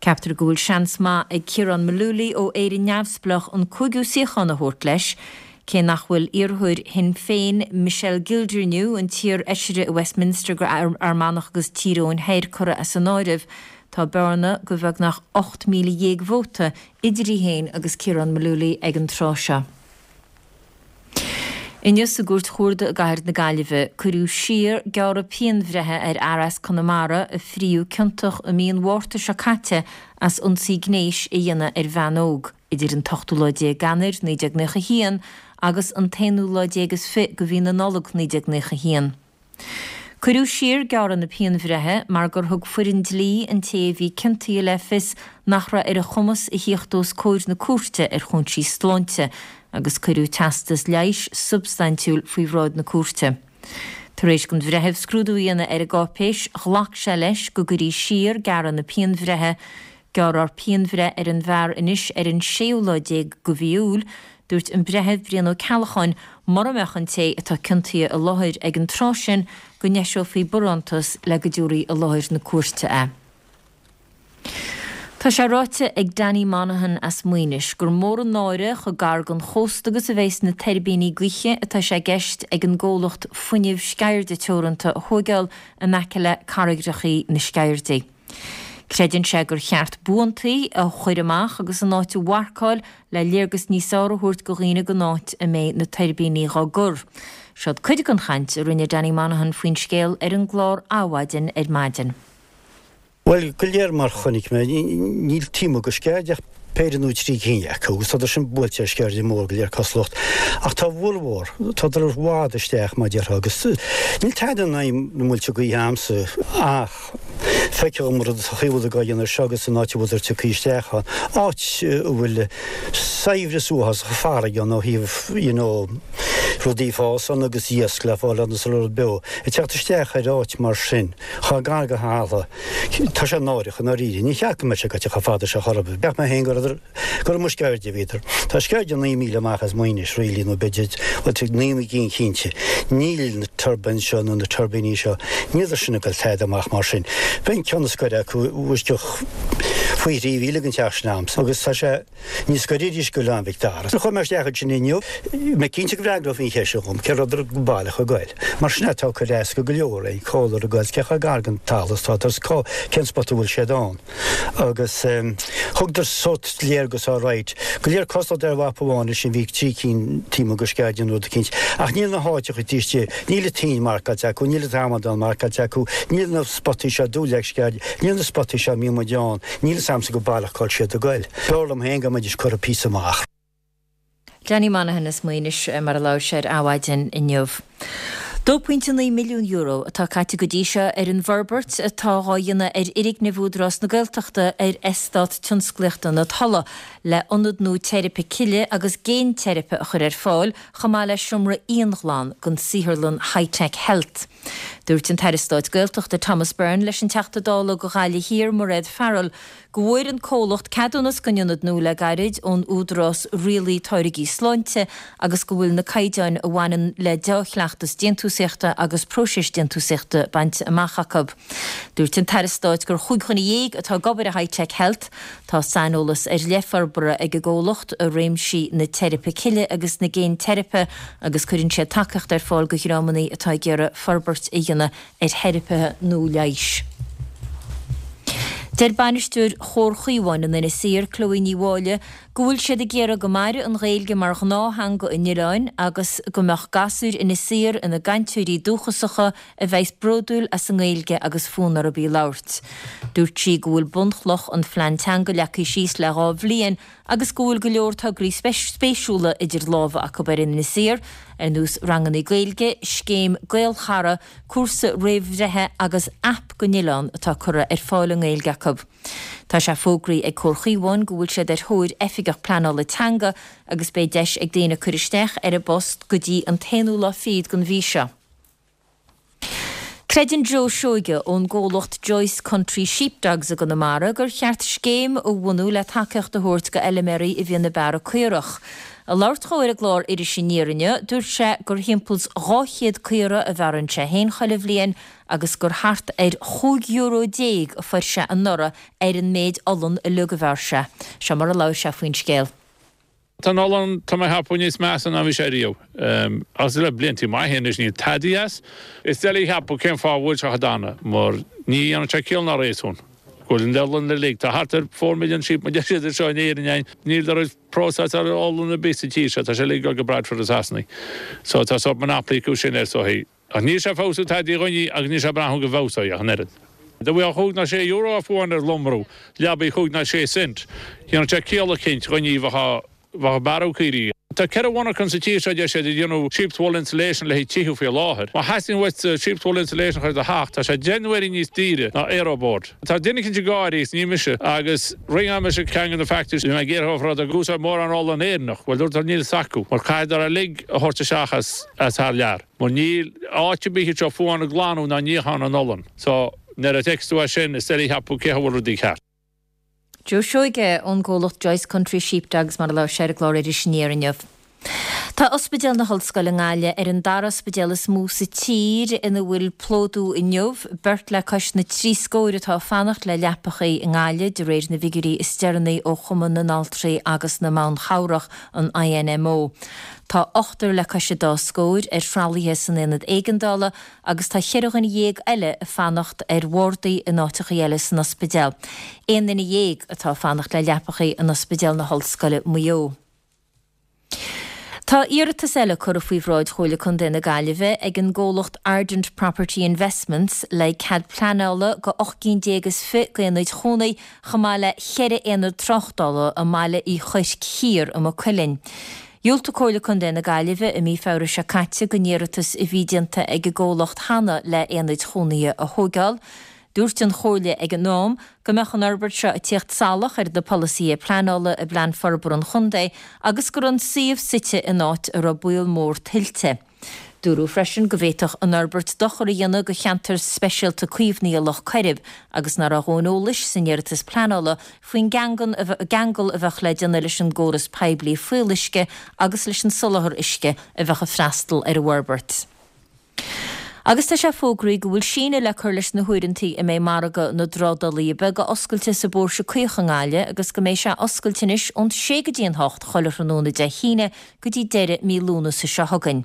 Ceaptar go bhfuil seans maith ag Ciarán Mullooly ó Éire Neamhspleách an cúigiú suíochán a thabhairt leis, cé nach bhfuil iarrthóir Shinn Féin, Michelle Gildernew, an t-iar-fheisire i Westminster go Fhear Manach agus Tír Eoghain Thoir, curtha as an áireamh. Tá bearna de bheagnach 18,000 vóta idir í féin agus Ciarán Mullooly ag an tráth seo. Inniu sa gCúirt Chuarda i gcathair na Gaillimhe, cuireadh siar gearradh pianbhreithe ar fhear as Conamara a fríodh ciontach i mí an Mhárta seo caite as ionsaí gnéis a dhéanamh ar bhean óg idir an t-ochtú lá déag Eanáir 1991 agus an t-aonú lá déag is fi de mhí na Nollag 1991. Cuireadh siar gearradh na pianbhreithe mar gur thug foireann dlí an té a bhí ciontaithe le fios nach raibh ar a chumas a thíocht os comhair na cúirte ar chúinsí sláinte agus cuireadh teastas leighis substaintiúil faoi bhráid na cúirte. Tar éis don bhreitheamh scrúdú a dhéanamh ar an gcáipéis, ghlac sé leis go gcuirí siar gearradh na pianbhreithe Gearrfar pianbhreith ar an bhfear anois ar an séú lá déag de mhí Iúil. Dúirt an Breitheamh Brian Ó Ceallacháin mura mbeadh an té atá ciontaithe i láthair ag an tráth sin go n-eiseofaí barántas le go dtabharfaí i láthair na cúirte é. Tá sé ráite ag Danny Monaghan as Maínis gur mór an náire chomh gar don chósta agus a bheas na tuirbíní gaoithe atá sé i gceist ag an gcomhlacht Fuinneamh Sceirde Teoranta a thóigeáil in aice le carraigreachaí na Sceirdí. Creideann sé gur cheart buantaí a chur amach agus an áit a mharcáil le léargas níos fearr a thabhairt go dhaoine den áit a mbeidh na tuirbíní dhá gcur. Seod cuid den chaint a rinne Danny Monaghan faoin scéal ar an gclár Adhmhaidin ar maidin. Bhuel, go léir mar chonaic mé, níl taobh amuigh de Sceirde ach péire nó 3 cinn acu agus tádar sin buailte ar Sceirde mór go léir cosúlacht. Ach tá a bhformhór, tádar i bhfad isteach mar déarfá agus níl tada in aghaidh na muilte gaoithe a'msa ach feictear dhom an rud sa chaoi a bhfuil á dhéanamh air seo agus an áit a bhfuil tugtha isteach ann, áit a bhfuil saibhreas uafásach farraige ann ó thaobh you know rudaí ag fás ann agus iasc le fáil ann is an rud beo ag teacht isteach ar áit mar sin chomh gar go talamh. Tá sé náireach i ndáiríre. Ní cheart go mbeadh sé gaibhte chomh fada seo chor ar bith. Cheap mé féin go rabhadar, gur amuigh Sceirde a bhíodar. Tá Sceirde 9 míle amach as Maínis, really, nó b'fhéidir, bhuel, tá 9 gcinn cinnte. Níl na turbines seo nó na tuirbíní seo, níleadar sin ag dul tada amach mar sin. Bheadh an ceann is gaire acu i bhfoisceacht. Faoi thrí mhíle den teach sin a'msa agus tá sé níos gaire arís go Oileán Mhic Dara. Chuaigh mé isteach ansin inniu, mé cinnte go bhfreagrófaí an cheist seo dhom, cé rabhadar go baileach ag goil. Mar sin é, tá cur éasca go leor é, cá bhfuileadar ag goil, cé chomh gar don talamh is atá agus cá, cén spota a bhfuil siad ann. Agus thugadar sórt léargas alright. Go léir cosúil ar mhapa amháin ansin bhí trí cinn taobh amuigh de Sceirde nó rud eicínt. Ach níl na háiteacha taobh istigh, níl an toinn marcáilte acu, níl an t-amadán marcáilte acu, níl na spotaí seo Dúleac Sceirde, níl na spotaí seo a mbíonn muid ann, níl fhios a'msa go baileach cá bhfuil siad ag goil. B'fhearr liom féin go mbeidís curtha píosa amach. Danny Monaghan as Maínis mar a labhair sé ar Adhmhaidin inniu. €2.9 milliún atá caite go dtí seo ar an bhforbairt atá dhá dhéanamh ar fhoirgneamh Údarás na Gaeltachta ar Eastát Tionsclaíochta na Tulaí le ionad nua teiripe cille agus géinteiripe a chur ar fáil chomh maith le seomra íonghlan don saotharlann Hi-Tech Health. Dúirt an tAire Stáit Gaeltachta Thomas Byrne leis an Teachta Dála do Ghaillimh Thiar Mairéad Farrell go bhfuair an comhlacht ceadúnas don ionad nua le gairid ón Údarás Rialaithe Táirgí Sláinte agus go bhfuil na caighdeáin a bhaineann le deá-chleachtas déantúsaíochta agus próiseas déantúsaíochta bainte amach acu. Dúirt an tAire Stáit gur chúig dhuine dhéag atá ag obair i Hi-Tech Health. Tá saineolas ar leith forbartha ag an gcomhlacht i réimsí na teiripe cille agus na géinteiripe agus cuireann siad tacaíocht ar fáil do dhreamanna atá ag iarraidh forbairt a dhéanamh ar theiripithe nua leighis. Deir bainisteoir Chomhar Chaomháin in Inis Oírr, Chloe Ní Mháille, go bhfuil siad ag iarraidh go mairfeadh an Ghaeilge mar ghnáth-theanga an oileáin agus go mbeadh gasúir Inis Oírr ina gcainteoirí dúchasacha a bheas bródúil as an nGaeilge agus fonn orthu í a labhairt. Dúirt sí go bhfuil bunchloch an phlean teanga leagtha síos le dhá bhliain agus go bhfuil go leor tograí spéisiúla idir lámha acu ar Inis Oírr, ar nós ranganna Gaeilge, scéim Gaelchara, cúrsa réamhbhreithe agus aip don oileán atá curtha ar fáil i nGaeilge acu. Tá sé fógraithe ag Comhar Chaomháin go bhfuil siad ar thóir Oifigeach Pleanála Teanga agus beidh deis ag daoine cur isteach ar an bpost go dtí an t-aonú lá fichead den mhí seo. Creideann Joe Seoige ón gcomhlacht Joyce Country Sheepdogs i gConamara gur cheart scéim a bhunú le tacaíocht a thabhairt go fheilméaraí a bhíonn ag bearradh caorach. Ag labhairt dhó ar an gclár Iris Aniar inniu, dúirt sé gur thimpeall's 200 caora a bhearrann sé féin chuile bhliain agus gur thart ar 15 euro a fuair sé anuraidh ar an méid olann uilig a bhearr sé. Seo mar a labhair sé faoin scéal. Tá an olann, tá mé a cheapadh, níos measa ná bhí sé riamh. Agus le bliantaí maithe anois níl tadaí as. Is doiligh a cheapadh cén fáth a bhfuil sé chomh dona, mar ní dhéanann sé ciall ná réasún go bhfuil an olann uilig, tá thart ar four million sheep mar deir siad anseo in Éirinn, níl de raibh próiseáil olann ar bith sa tír seo, tá sé uilig ag dul go Bradford i Sasana. So tá sórt monopoly acu sin air so hí. Ach níl sé ag feabhsú tadaí a dhuine agus níl sé ag brath go bhfeabhsóidh ach an oiread. Dá mbeadh chúig ná sé euro á fuáin ar lomrú leabaidh chúig ná sé cent, dhéanfadh sé ciall eicínt dhuine a bheadh bheadh ag bearradh caoirigh. Tá ceithre mhonarchan sa tír seo, deir siad, ag déanamh sheep's wool insulation le haghaidh tithe faoi láthair. Má theastaíonn uait sheep's wool insulation a chur i do theach, tá sé deich n-uaire níos daoire ná aeroboard. Tá duine eicínt ag gáirí agus ní mise, agus ringeáil mise ceann de na factories, bhí mé ag iarraidh orthu ag úsáid mórán olann Éireannach, bhuel dúirt níl fhios acu, mar caithfidh uilig a thabhairt isteach as as thar lear, mar níl áit ar bith anseo fiú amháin ag glanadh ná níochán an olann. So, nuair a fheiceas tú é sin, is doiligh a cheapadh cé a bhfuil rudaí ceart. Joe Seoige ón gcomhlacht Joyce Country Sheepdogs mar a labhair sé ar an gclár Iris Aniar inniu. Tá Ospidéal na hOllscoile i nGaillimh ar an dara ospidéal is mó sa tír ina bhfuil plódú inniu, beirt le cois na dtrí scóir atá ag fanacht le leapachaí i nGaillimh, de réir na bhfigiúirí is deireanaí ó Chumann na nAltraí agus na mBan Chabhrach, an INMO. Tá ochtar le cois an dá scóir ar thralaithe san aonad éigeandála agus tá cheithre dhuine dhéag eile ag fanacht ar bhardaí in áiteachaí eile san ospidéal. Aon duine dhéag atá ag fanacht le leapachaí in Ospidéal na hOllscoile, Maigh Eo. Tá iarratas eile curtha faoi bhráid Chomhairle Contae na Gaillimhe ag an gcomhlacht Ardent Property Investments le cead pleanála go 18 gcinn is fi d'aonaid chónaithe chomh maith le cheithre aonad tráchtála i mBaile Uí Chuirc Thiar i Maigh Cuilinn. Dhiúltaigh Comhairle Contae na Gaillimhe i mí Feabhra seo caite don iarratas a bhí déanta ag an gcomhlacht cheana le aonaid chónaithe a thóigeáil. Dúirt an Chomhairle ag an am go mbeadh an fhorbairt seo ag tíocht salach ar na polasaithe pleanála i bPlean Forbartha an Chontae agus go raibh an suíomh suite in áit a raibh baol mór tuilte. Dúradh freisin go bhféadfadh an fhorbairt dochar a dhéanamh do cheantar speisialta caomhnaithe Loch Coirib agus nach raibh a dhóthain eolais san iarratas pleanála faoin gceangal a bheadh le déanamh leis an gcóras poiblí fuíolluisce agus leis an soláthar uisce a bheadh ag freastal ar an bhforbairt. Agus tá sé fógraithe go bhfuil síneadh le cur leis na huaireantaí a mbeidh margadh na dtrádálaithe beaga oscailte sa bPóirse Caoch i nGaillimh agus go mbeidh sé oscailte anois ón sé go dtí an hocht chuile thráthnóna Dé hAoine go dtí deireadh mí Lúnasa seo chugainn.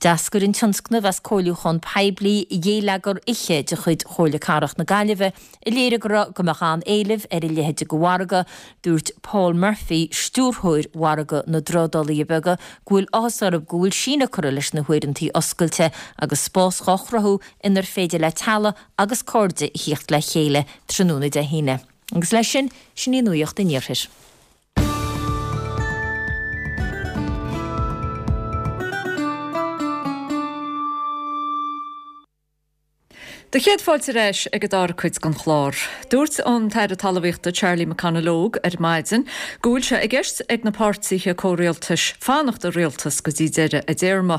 D'eascair an tionscnamh as comhairliúchán poiblí Ghéilleagar Oíche de chuid Chomhairle Cathrach na Gaillimhe a léirigh go raibh go mbeadh an-éileamh ar a leithéid de mhargadh. Dúirt Paul Murphy, stiúrthóir Mhargadh na dTrádálaithe Beaga, go bhfuil áthas orthu go bhfuil síneadh curtha leis na huaireantaí oscailte agus spás dhá chruthú inar féidir le teaghlaigh agus cairde a thíocht le chéile tráthnóna Dé hAoine. Agus leis sin, sin í nuacht an iarthair. Do chéad fáilte ar ais ag an dara cuid den chlár. Dúirt an tAire Talmhaíochta Charlie McConalogue ar maidin go bhfuil sé i gceist ag na páirtithe comhrialtais fanacht i rialtas go dtí deireadh a dtéarma.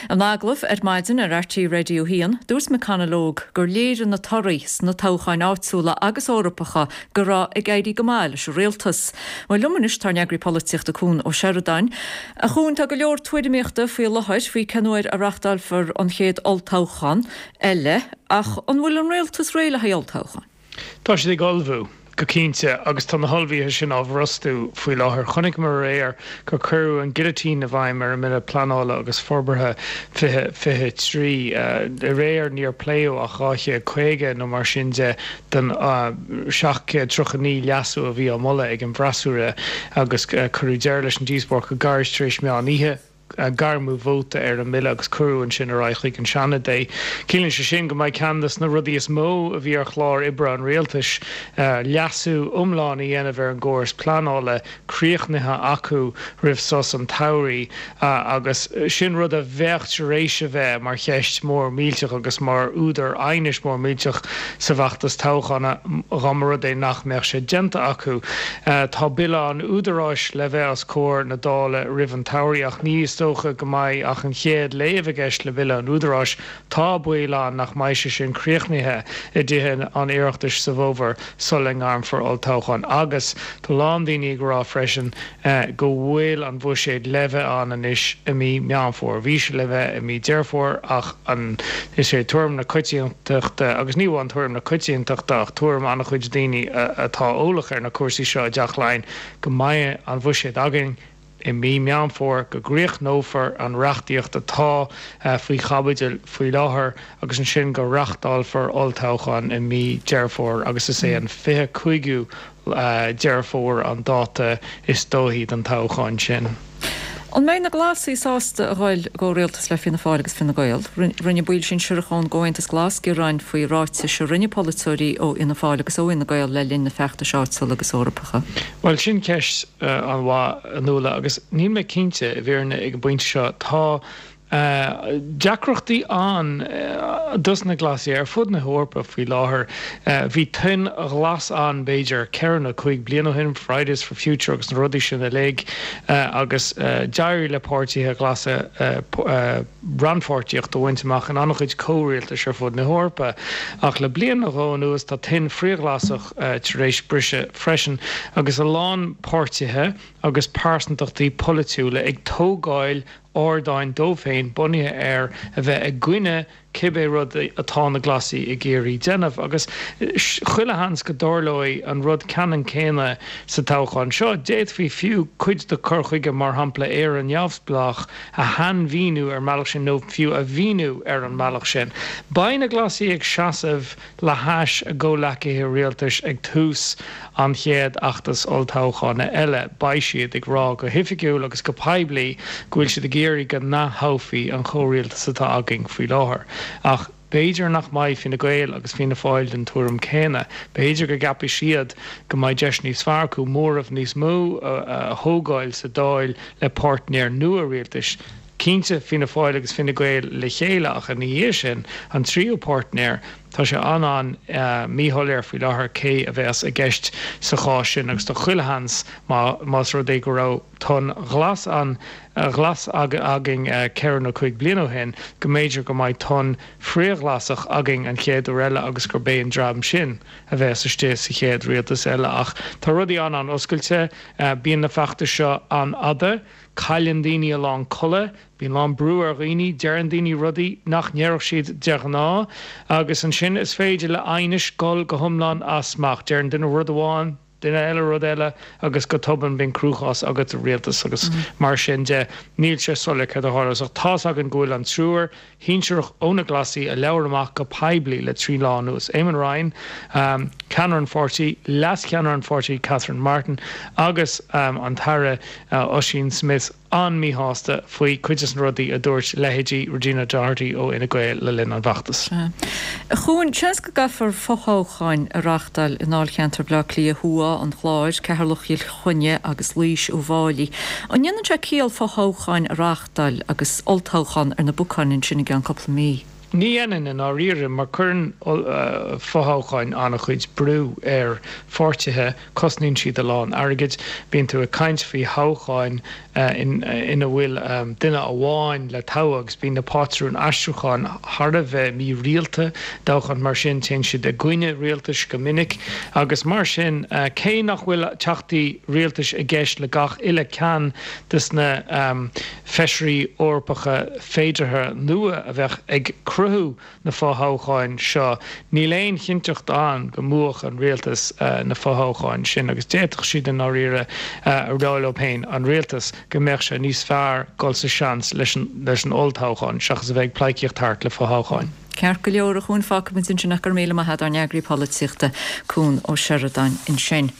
In agallamh ar maidin ar RTÉ Radio 1, dúirt McConalogue gur léirigh na torthaí sna toghcháin áitiúla agus Eorpacha go raibh ag éirí go maith leis an rialtas. Bhuel, liom anois tá ár n-eagraí polaitíochta Cuan Ó Seireadáin. A Chuain, tá go leor tuairimíochta faoi láthair faoi cén uair a reachtálfar an chéad olltoghchán eile, ach an bhfuil an rialtas réidh le haghaidh olltoghcháin? Tá siad ag ullmhú, go cinnte, agus tá na hullmhuithe sin á bhrostú faoi láthair. Chonaiceamar aréir gur cuireadh an gilitín i bhfeidhm ar an mBille Pleanála agus Forbartha 2023. Aréir níor pléadh ach 250 nó mar sin de den 739 leasú a bhí á moladh ag an bhfreasúra agus cuireadh deireadh leis an díospóireacht go gairid tar éis meán oíche. Gairmeadh vóta ar an mbille agus cuireadh ansin ar aghaidh chuig an Seanad é. Ciallaíonn sé sin go mbeidh ceann de na rudaí is mó a bhí ar chlár oibre an rialtais, leasú iomlán a dhéanamh ar an gcóras pleanála, críochnaithe acu roimh sos an tsamhraidh agus sin rud a bheadh tar éis a bheith mar cheist mhór mhillteach agus mar údar aighnis mór millteach sa bhfeachtas toghcháin dá mba rud é nach mbeadh sé déanta acu. Tá Bille an Údaráis le bheith os comhair na Dála roimh an tsamhraidh ach ní is dócha go mbeidh ach an chéad léamh i gceist le Bille an Údaráis. Tá baol ann nach mbeidh sé sin críochnaithe i dTithe an Oireachtais sa bhfómhar sula ngairmfear olltoghchán agus tá a lán daoine ag rá freisin go bhfuil an bhuiséad le bheith ann anois i mí Meán Fómhair. Bhí sé le bheith i mí Deireadh Fómhair ach an is é tuairim na coitiantachta, agus ní amháin tuairim na coitiantachta ach tuairim an-chuid daoine atá eolach ar na cúrsaí seo i dTeach Laighean, go mbeidh an bhuiséad againn i mí Meán Fómhair, go gcríochnófar an reachtaíocht atá faoi chaibidil faoi láthair agus ansin go reachtálfar olltoghchán i mí Deireadh Fómhair agus is é an 25ú Deireadh Fómhair an dáta is dóichí don toghchán sin. An mbeidh na Glasaigh sásta a dhul i gcomhrialtas le Fianna Fáil agus Fine Gael? Rinne baill sinsearacha ón gComhaontas Glas gearáin faoi ráitis a rinne polaiteoirí ó Fhianna Fáil agus ó Fhine Gael le linn na feachtais áitiúla agus Eorpacha. Bhuel, sin ceist an-mhaith, a Nuala, agus níl mé cinnte, i bhfírinne, ag an bpointe seo. Tá deacrachtaí ann dos na Glasaigh ar fud na hEorpa faoi láthair. Bhí toinn ghlas ann b'fhéidir ceithre nó cúig bliana ó shin, Fridays for Future agus na rudaí sin uilig, agus d'éirigh le páirtithe glasa rannpháirtíocht a bhaint amach in an-chuid comhrialtais ar fud na hEorpa. Ach le bliain nó dhó anuas tá toinn frithghlasach tar éis briseadh freisin agus a lán páirtithe agus pearsantachtaí polaitiúla ag tógáil ardáin dóibh féin bunaithe ar a bheith i gcoinne cibé rud atá na Glasaigh ag iarraidh déanamh. Agus chuile sheans go dtarlóidh an rud ceannann céanna sa toghchán seo. D'fhéadfaí fiú cuid de cur chuige, mar shampla Éire Neamhspleách, a shainmhíniú ar an mbealach sin nó fiú a mhíniú ar an mbealach sin. Beidh na Glasaigh ag seasamh le hais a gcomhleacaithe rialtais ag tús an chéad fheachtas olltoghcháin eile. Beidh siad ag rá go hoifigiúil agus go poiblí go bhfuil siad ag iarraidh go n-ath-thoghfaí an chomhrialtas atá againn faoi láthair. Ach b'fhéidir nach mbeidh Fine Gael agus Fianna Fáil den tuairim céanna. B'fhéidir go gceapfaidh siad go mbeidh deis níos fearr acu móramh níos mó a thógáil sa Dáil le páirtnéir nua rialtais. Cinnte, Fianna Fáil agus Fine Gael le chéile ach ina dhiaidh sin, an tríú páirtnéir. Tá sé an-an-míshoiléir faoi láthair cé a bheas i gceist sa chás sin agus tá chuile sheans más rud é go raibh tonn ghlas an ghlas againn ceithre nó cuig bliana ó shin go mb'fhéidir go mbeidh tonn frithghlasach againn an chéad uair eile agus gurb é an dream sin a bheas istigh sa chéad rialtas eile. Ach tá rudaí an-an-oscailte. Bíonn na feachtais seo an-fhada. Cailleann daoine a lán codladh. Bíonn a lán brú ar dhaoine, deireann daoine rudaí nach ndéarfadh siad de ghnáth, agus ansin is féidir le aighnis dul go hiomlán as smacht. Deireann duine rud amháin, duine eile rud eile, agus go tobann bíonn cruachás agat i rialtas agus mar sin de. Níl sé soiléir céard a tharlós ach tá's againn go bhfuil an triúr shinsearach ó na Glasaigh a labhair amach go poiblí le 3 lá anuas, Eamon Ryan, ceannaire an pháirtí, leas-cheannaire an pháirtí Catherine Martin agus an tAire Ossian Smyth, an-míshásta faoi cuid des na rudaí a dúirt leithéidí Regina Doherty ó Fhine Gael le linn an bhfeachtais. A Chuain, seans go gcaithfear fothoghcháin a reáchtáil i ndáilcheantar Bhaile Átha Cliath Thuaidh, an Chláir, Ceatharlach, Chill Chainnigh agus Laois, Uíbh Fhailí. An ndéanann sé ciall fothoghcháin a reáchtáil agus olltoghchán ar na bacáin ansin i gceann cúpla mí? Ní dhéanann i ndáiríre, mar cuireann fothoghcháin an-chuid brú ar pháirtithe, cosnaíonn siad a lán airgid. Bíonn tú ag caint faoi thoghcháin ina bhfuil duine amháin le toghadh agus bíonn na pátrúin aistriúcháin thar a bheith mírialta. Toghcháin mar sin, téann siad i gcoinne rialtais go minic agus mar sin, cé nach bhfuil teachtaí rialtais i gceist le gach uile ceann des na feisirí Eorpacha féideartha nua a bheadh ag cruthú na fothoghcháin seo, níl aon chinnteacht ann go mbuafadh an rialtas na fothoghcháin sin agus d'fhéadfadh siad i ndáiríre a rá leo féin, an rialtas, go mbeadh sé níos fearr dul sa seans leis an olltoghchán seachas a bheith ag pleidhcíocht thart le fothoghcháin. Ceart go leor, a Chuain, fágfaimid ansin ach go raibh míle maith agat ár n-eagraí polaitíochta, Cuan Ó Seireadáin ansin.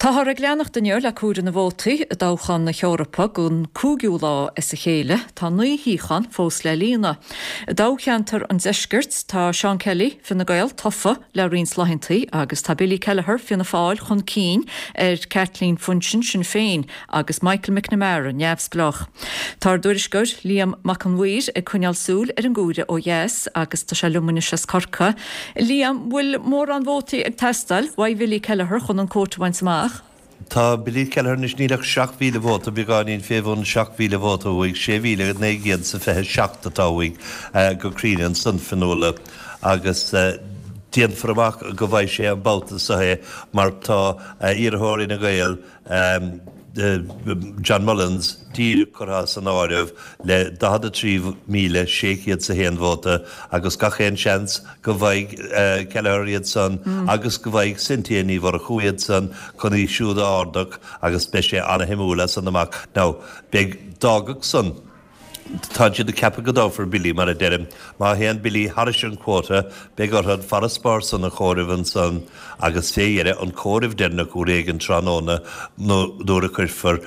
Táthar ag leanacht inniu le comhaireamh na vótaí i dtoghchán na hEorpa don cúigiú lá as a chéile. Tá 9 shuíochán fós le líonadh. I dtoghcheantar an Deiscirt, tá Seán Kelly, Fine Gael, tofa le roinnt laethanta agus tá Billy Kelleher, Fianna Fáil, chun cinn ar Kathleen Funchion, Sinn Féin, agus Michael McNamara, Neamhspleách. Tá ár dtuairisceoir Liam Mac an Mhaoir ag coinneáil súil ar an gcomhaireamh ó dheas agus tá sé liom anois as Corcaigh. Liam, bhfuil mórán vótaí ag teastáil uaidh Bhilly Kelleher chun an quota a bhaint amach? Tá Billy Kelleher anois, níl ach 7,000 vóta, beagáinín fé bhun 7,000 vóta uaidh, 6,927 atá uaidh go cruinn ansan, Fionnuala, agus déanfar amach go bhfaighidh sé an babhta seo é mar tá iarrthóir Fhine Gael, John Mullins díreach curtha as an áireamh le 43,601 vóta agus gach aon seans go bhfaighidh Kelleher iad san agus go bhfaighidh Cynthia Ní Mhurchú iad san chun í siúd a ardú agus beidh sé ana-shuimiúil as san amach. Now, beidh, d'fhágfadh san. Tá siad ag ceapadh go dtoghfar Billy, mar a deirim. Má théann Billy thairis an quota, beidh orthu an farasbarr san a chomhaireamh ansan agus fé dheireadh an comhaireamh deireanach uair éigin tráthnóna nó nuair a cuirfear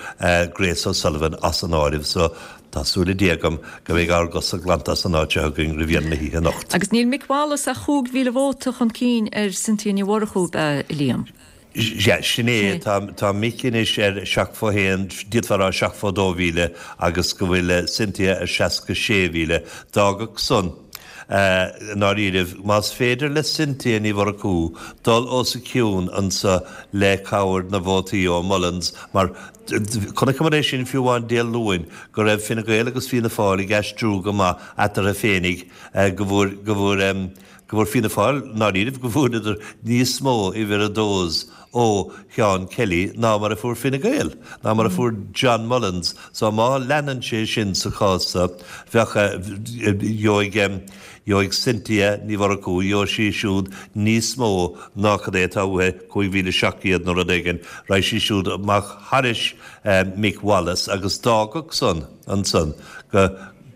Grace O'Sullivan as an áireamh. So, tá súil le Dia agam go mbeidh ár gcosa glanta as an áit seo againn roimh dheireadh na hoíche anocht. Agus níl Mick Wallace ach 5,000 vóta chun cinn ar Cynthia Ní Mhurchú, ab ea, a Liam? Sea, sin é. Tá Mick anois ar seacht fó haon, d'fhéadfá a rá seacht fó dó mhíle, agus go bhfuil Cynthia ar 66,000. D'fhágfadh san, i ndáiríribh, más féidir le Cynthia Ní Mhurchú dul os a cionn anso le cabhair na vótaí ó Mullins, mar chonaiceamar é sin fiú amháin Dé Luain, go raibh Fine Gael agus Fianna Fáil ag aistriú go maith eatarthu féinig, go bhfuair, go bhfuair, go bhfuair Fianna Fáil, i ndáiríribh, go bhfuaireadar níos mó uimhir a dós ó Sheán Kelly ná mar a fuair Fine Gael, ná mar a fuair John Mullins. So má leanann sé sin sa chás so, bheadh, gheobhaidh, gheobhaidh Cynthia Ní Mhurchú, gheobhaidh sí siúd níos mó ná cad é atá uaithi, 5,700 nó rud éigin, raghaidh sí siúd amach thairis Mick Wallace agus d'fhágfadh san ansan go,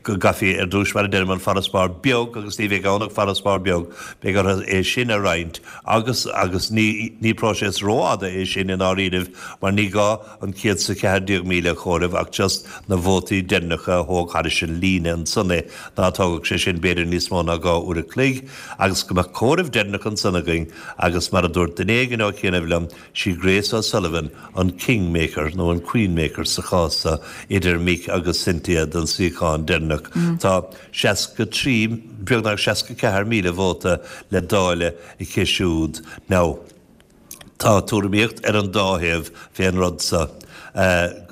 go gcaithfí ar dtús, mar a deirim, an farasbarr beag, agus ní bheidh ann ach farasbarr beag, beidh orthu é sin a roinnt agus, agus ní, ní próiseas rófhada é sin i ndáiríribh mar ní gá an 114,000 a chomhaireamh ach just na vótaí deireanacha a thóg thairis an líne ansan é, ná tógfadh sé sin b'fhéidir níos mó ná 2 uair a chloig agus go mbeadh comhaireamh deireanach ansan againn agus mar a dúirt duine éigin ó chianaibh liom, sí Grace O'Sullivan an king maker nó an queen maker sa chás seo idir Mick agus Cynthia don suíochán deireanach. deireanach. Tá 63, beagnach 64,000 vóta le dáileadh aici siúd. Now. Tá tuairimíocht ar an dá thaobh fén rud so,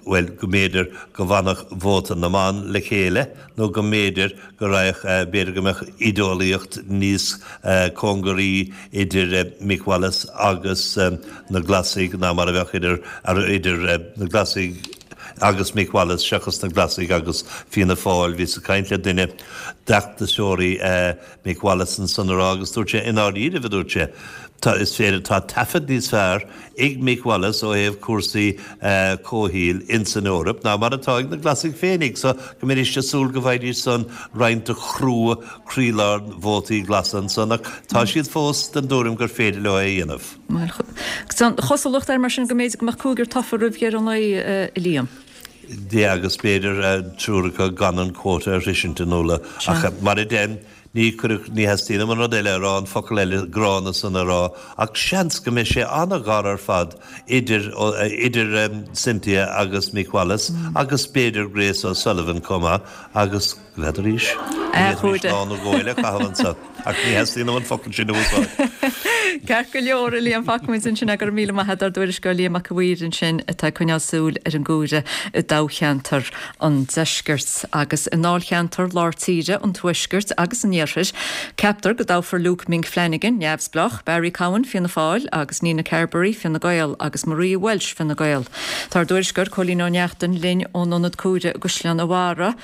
bhuel, go mb'fhéidir go bhfanfadh vóta na mban le chéile nó go mb'fhéidir go raghadh, b'fhéidir go mbeadh ídeolaíocht níos cóngaraí idir Mick Wallace agus na Glasaigh ná mar a bheadh idir, idir na Glasaigh agus Mick Wallace seachas na Glasaigh agus Fianna Fáil. Bhíos ag caint le duine d'fheachtasóirí Mick Wallace ansan a rá agus dúirt sé, i ndáiríribh, a dúirt sé, tá, is féidir, tá taifead níos fearr ag Mick Wallace ó thaobh cúrsaí comhshaoil ins an Eoraip ná mar atá ag na Glasaigh féinig, so go mbeidís ag súil go bhfaighidís san roinnt de chrua croílár vótaí glasa ansan ach tá siad fós den dtuairim gur féidir leo é a dhéanamh. Bhuel, tá an chosúlacht air mar sin go mb'fhéidir go mbeadh cúigear tofa roimh dheireadh an lae, a Liam. Dia agus b'fhéidir triúr acu gan an quota a shroisint a Nuala. Ach mar a deirim, ní cuireadh, ní theastaíonn uaim an rud eile a rá, an focal eile gránna san a rá, ach seans go mbeidh sé an-ghar ar fad idir, idir Cynthia agus Mick Wallace agus b'fhéidir Grace O'Sullivan chomh maith agus, N'fheadarís. Ní lá nó dhó eile a chaitheamh anso, ach ní theastaíonn uaim an focal sin a úsáid. Ceart go leor, a Liam, fágfaimid ansin é. Go raibh míle maith agat ár dtuairisceoir Liam Mac a' Mhaoir ansin atá ag coinneáil súil ar an gcomhaireamh i dtoghcheantar an Deiscirt. Agus i ndáilcheantar Lár Tíre, an Tuaiscirt agus an Iarthair, ceaptar go dtoghfar Luke Mink Flanagan, Neamhspleách, Barry Cowen, Fianna Fáil, agus Nina Carberry, Fine Gael, agus Maria Walsh, Fine Gael. Tá ár dtuairisceoir Cóilín Ó Neachtain linn ón ionad comhairimh i gCaisleán an Bharraigh.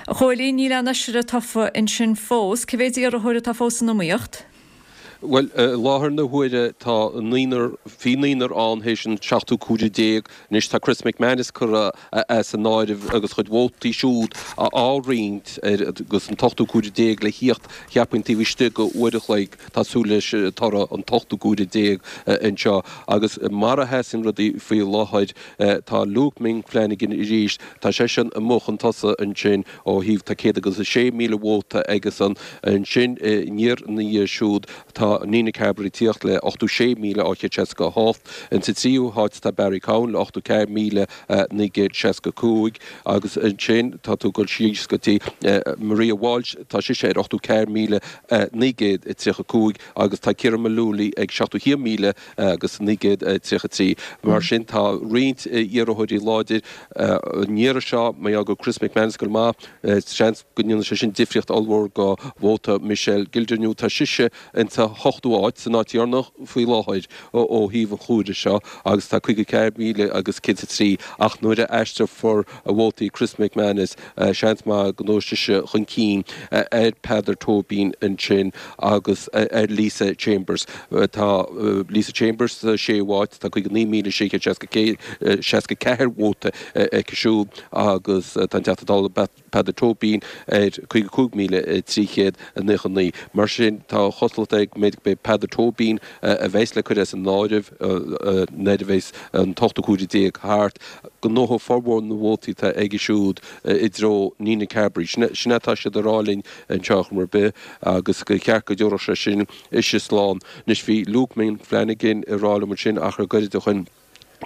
A Chóilín, níl aon fheisire tofa ansin fós. Cé mhéid iarrthóir atá fós san iomaíocht? Bhuel, i láthair na huaire tá naonúr, bhí naonúr ann théis an seachtú comhaireamh déag. Anois tá Chris McManus curtha as an áireamh agus a chuid vótaí siúd á roinnt ar agus an t-ochtú comhaireamh déag le thíocht cheapfainn taobh istigh de uair a chloig. Tá súil leis toradh an t-ochtú comhaireamh déag anseo agus mar a sheasann rudaí faoi láthair, Tá Luke Mink Flanagan arís, tá seisean amuigh chun tosaigh ansin ó thaobh, tá 106,000 vóta aigesan. Ansin aniar ina dhiaidh siúd tá Nina Carberry ag tíocht le 86,868. Insa tríú háit tá Barry Cowen le 84,965 agus ansin tá tú ag dul síos go dtí Maria Walsh, tá sise ar 84,935 agus tá Ciarán Mullooly ag 71,000 agus 933. Mar sin tá roinnt iarrthóirí láidir an iarraidh seo. Mar gheall go bhfuil Chris McManus ag goil maith, seans go ndéanfaidh sé sin difríocht ollmhór do vóta Michelle Gildernew. Tá sise insa hochtú háit, san áit dheireanach faoi láthair ó thaobh an chomhairimh seo agus tá 54,000 agus 103 ach nuair a aistreofar vótaí Chris McManus, Seans maith go ngabhfaidh sise chun cinn ar Peadar Tóibín ansin agus ar Lisa Chambers. Tá Lisa Chambers sa séú háit, tá 59,664 vóta aici siúd agus tá an Teachta Dála Peadar Tóibín ar 55,399. Mar sin tá an chosúlacht air go mb'fhéidir gurb é Peadar Tóibín a bheas le cur as an áireamh nuair a bheas an t-ochtú comhaireamh déag thart. Go ngnóthóidh formhór na vótaí atá aige siúd i dtreo Nina Carberry. Sin é atá siad a rá linn anseo ar chuma ar bith agus gur cheart go dtabharfadh sé sin ise slán. Anois bhí Luke Mink Flanagan ag rá liom ansin achar gairid ó shin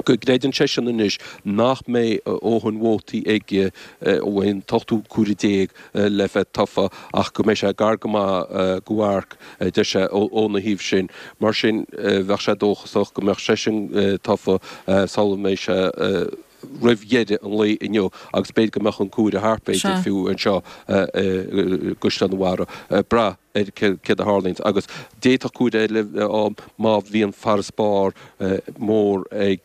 go gcreideann seisean anois nach mbeidh a dhóthain vótaí aige ó an t-ochtú comhaireamh déag le bheith tofa ach go mbeidh sé gar go maith go mharc, a deir sé, óna thaobh sin. Mar sin, bheadh sé dóchasach go mbeadh seisean tofa sula mbeidh sé roimh dheireadh an lae inniu agus b'fhéidir go mbeadh an comhaireamh thart, b'fhéidir, fiú anseo i gCaisleán an Bharraigh. Ag brath ar céard a tharlaíonns. Agus d'fhéadfadh comhaireamh eile bheith ann má bhíonn farasbarr mór ag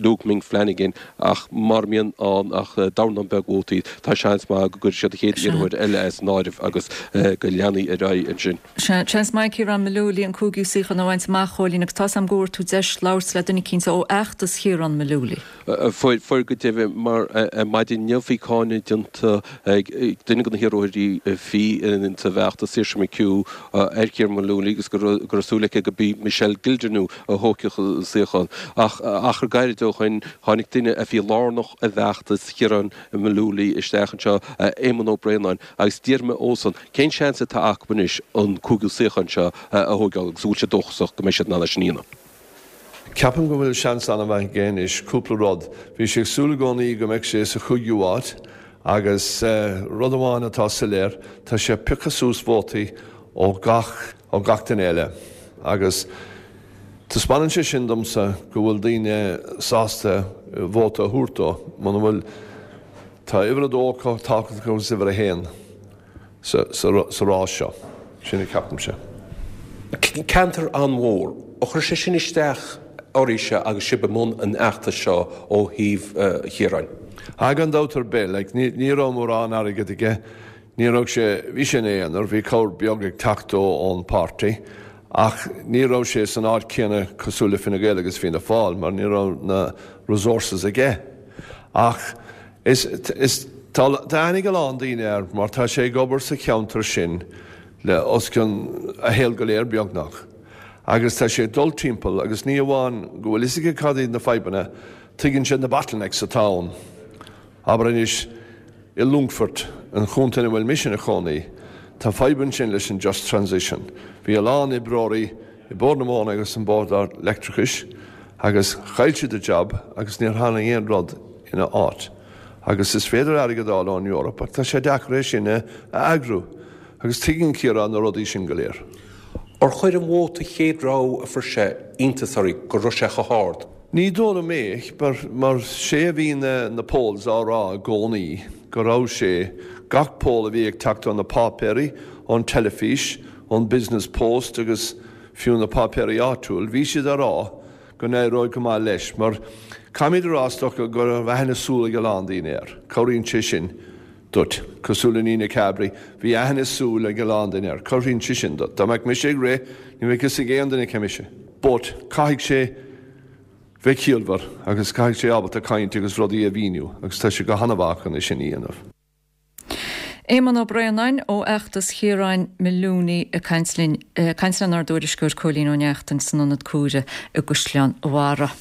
Luke Mink Flanagan ach mura mbíonn ann ach dornán beag vótaí, tá seans maith go gcuirfidh siad an chéad iarrthóir eile as an áireamh agus go leanfaidh ar aghaidh ansin. Sea, seans maith Ciarán Mullooly an cúigiú suíochán a bhaint amach, a Chóilín, agus tá's a'm go bhfuair tú deis labhairt le duine eicínt ó fheachtas Chiarán Mullooly. Fuair, fuair go deimhin, mar ar maidin inniu bhí cáineadh déanta ag duine de na hiarrthóirí a bhí sa bhfeachtas, Saoirse McHugh, ar Chiarán Mullooly agus go raibh súil aici go b'í Michelle Gildernew a thógfadh an suíochán. Ach achar gairid ó shoin tháinig duine a bhí lárnach i bhfeachtas Chiaráin Mullooly isteach anseo, Éamonn Ó Braonáin, agus d'iarr mé dhósan cén seans atá acu anois an cúigiú suíochán seo a thóigeáil agus an bhfuil siad dóchasach go mbeidh siad in ann é sin a dhéanamh. Ceapaim go bhfuil seans an-mhaith aige anois, cúpla rud. Bhí sé ag súil i gcónaí go mbeadh sé sa chúigiú háit. Agus rud amháin atá soiléir, tá sé ag piocadh suas vótaí ó gach, ó gach duine eile. Agus taispeánann sé sin domsa go bhfuil daoine sásta vóta a thabhairt dó, muna bhfuil, tá uimhir a dó chomh tábhachtach agus uimhir a haon sa, sa rás seo. Sin a cheapaimse. Ceantar an-mhór. Ar chuir sé sin isteach oraibhse agus sibh i mbun an fheachtais seo ó thaobh Chiaráin? Ah, gan dabht ar bith. Like, ní, ní raibh mórán airgead aige. Ní raibh sé, bhí sé ina aonar, bhí cabhair beag ag teacht dó ón páirtí, ach ní raibh sé san áit céanna cosúil le Fine Gael agus Fianna Fáil mar ní raibh na resources aige. Ach is, is, tá, tá aithne ag a lán daoine air mar tá sé ag obair sa cheantar sin le os cionn a shaol go léir beagnach. Agus tá sé ag dul timpeall agus ní amháin go bhfuil fhios aige cad iad na fadhbanna, tuigeann sé na bottlenecks atá ann. Abair anois, i Longfort, an chontae ina bhfuil mise ina chónaí, tá fadhb ansin leis an Just Transition. Bhí a lán oibreoirí i Bord na Móna agus an Bord Leictreachais agus chaill siad a job agus níor tháinig aon rud ina áit. Agus is féidir airgead a fháil ón Eoraip ach tá sé deacair é sin a eagrú. Agus tuigeann Ciarán na rudaí sin go léir. Ar chuir an vóta chéad rogha a fuair sé iontas oraibh go raibh sé chomh hard? Ní dóigh liom é, mar sé a bhí na polls á rá i gcónaí, go raibh sé, gach poll a bhí ag teacht ó na páipéirí, ón teilifís, ón Business Post agus fiú na páipéirí áitiúil, bhí siad á rá go n-éireoidh go maith leis, mar caithfimid a rá is dócha go raibh aithne súl ag a lán daoine air, cabhraíonn sé sin duit. Cosúil le Nina Carberry, bhí aithne súl ag a lán daoine air, cabhraíonn sé sin duit. Dá mbeadh mise ag rith, ní bheadh fhios ag aon duine cé mise. But, caithfidh sé bheith ciallmhar agus caithfidh sé ábalta caint agus rudaí a mhíniú agus tá sé go han-mhaith chun é sin a dhéanamh. Éamonn Ó Braonáin ó fheachtas Chiaráin Moloney ag caint linn, ag caint lenár dtuairisceoir Cóilín Ó Neachtain san Ionad Comhairimh i gCaisleán an Bharraigh.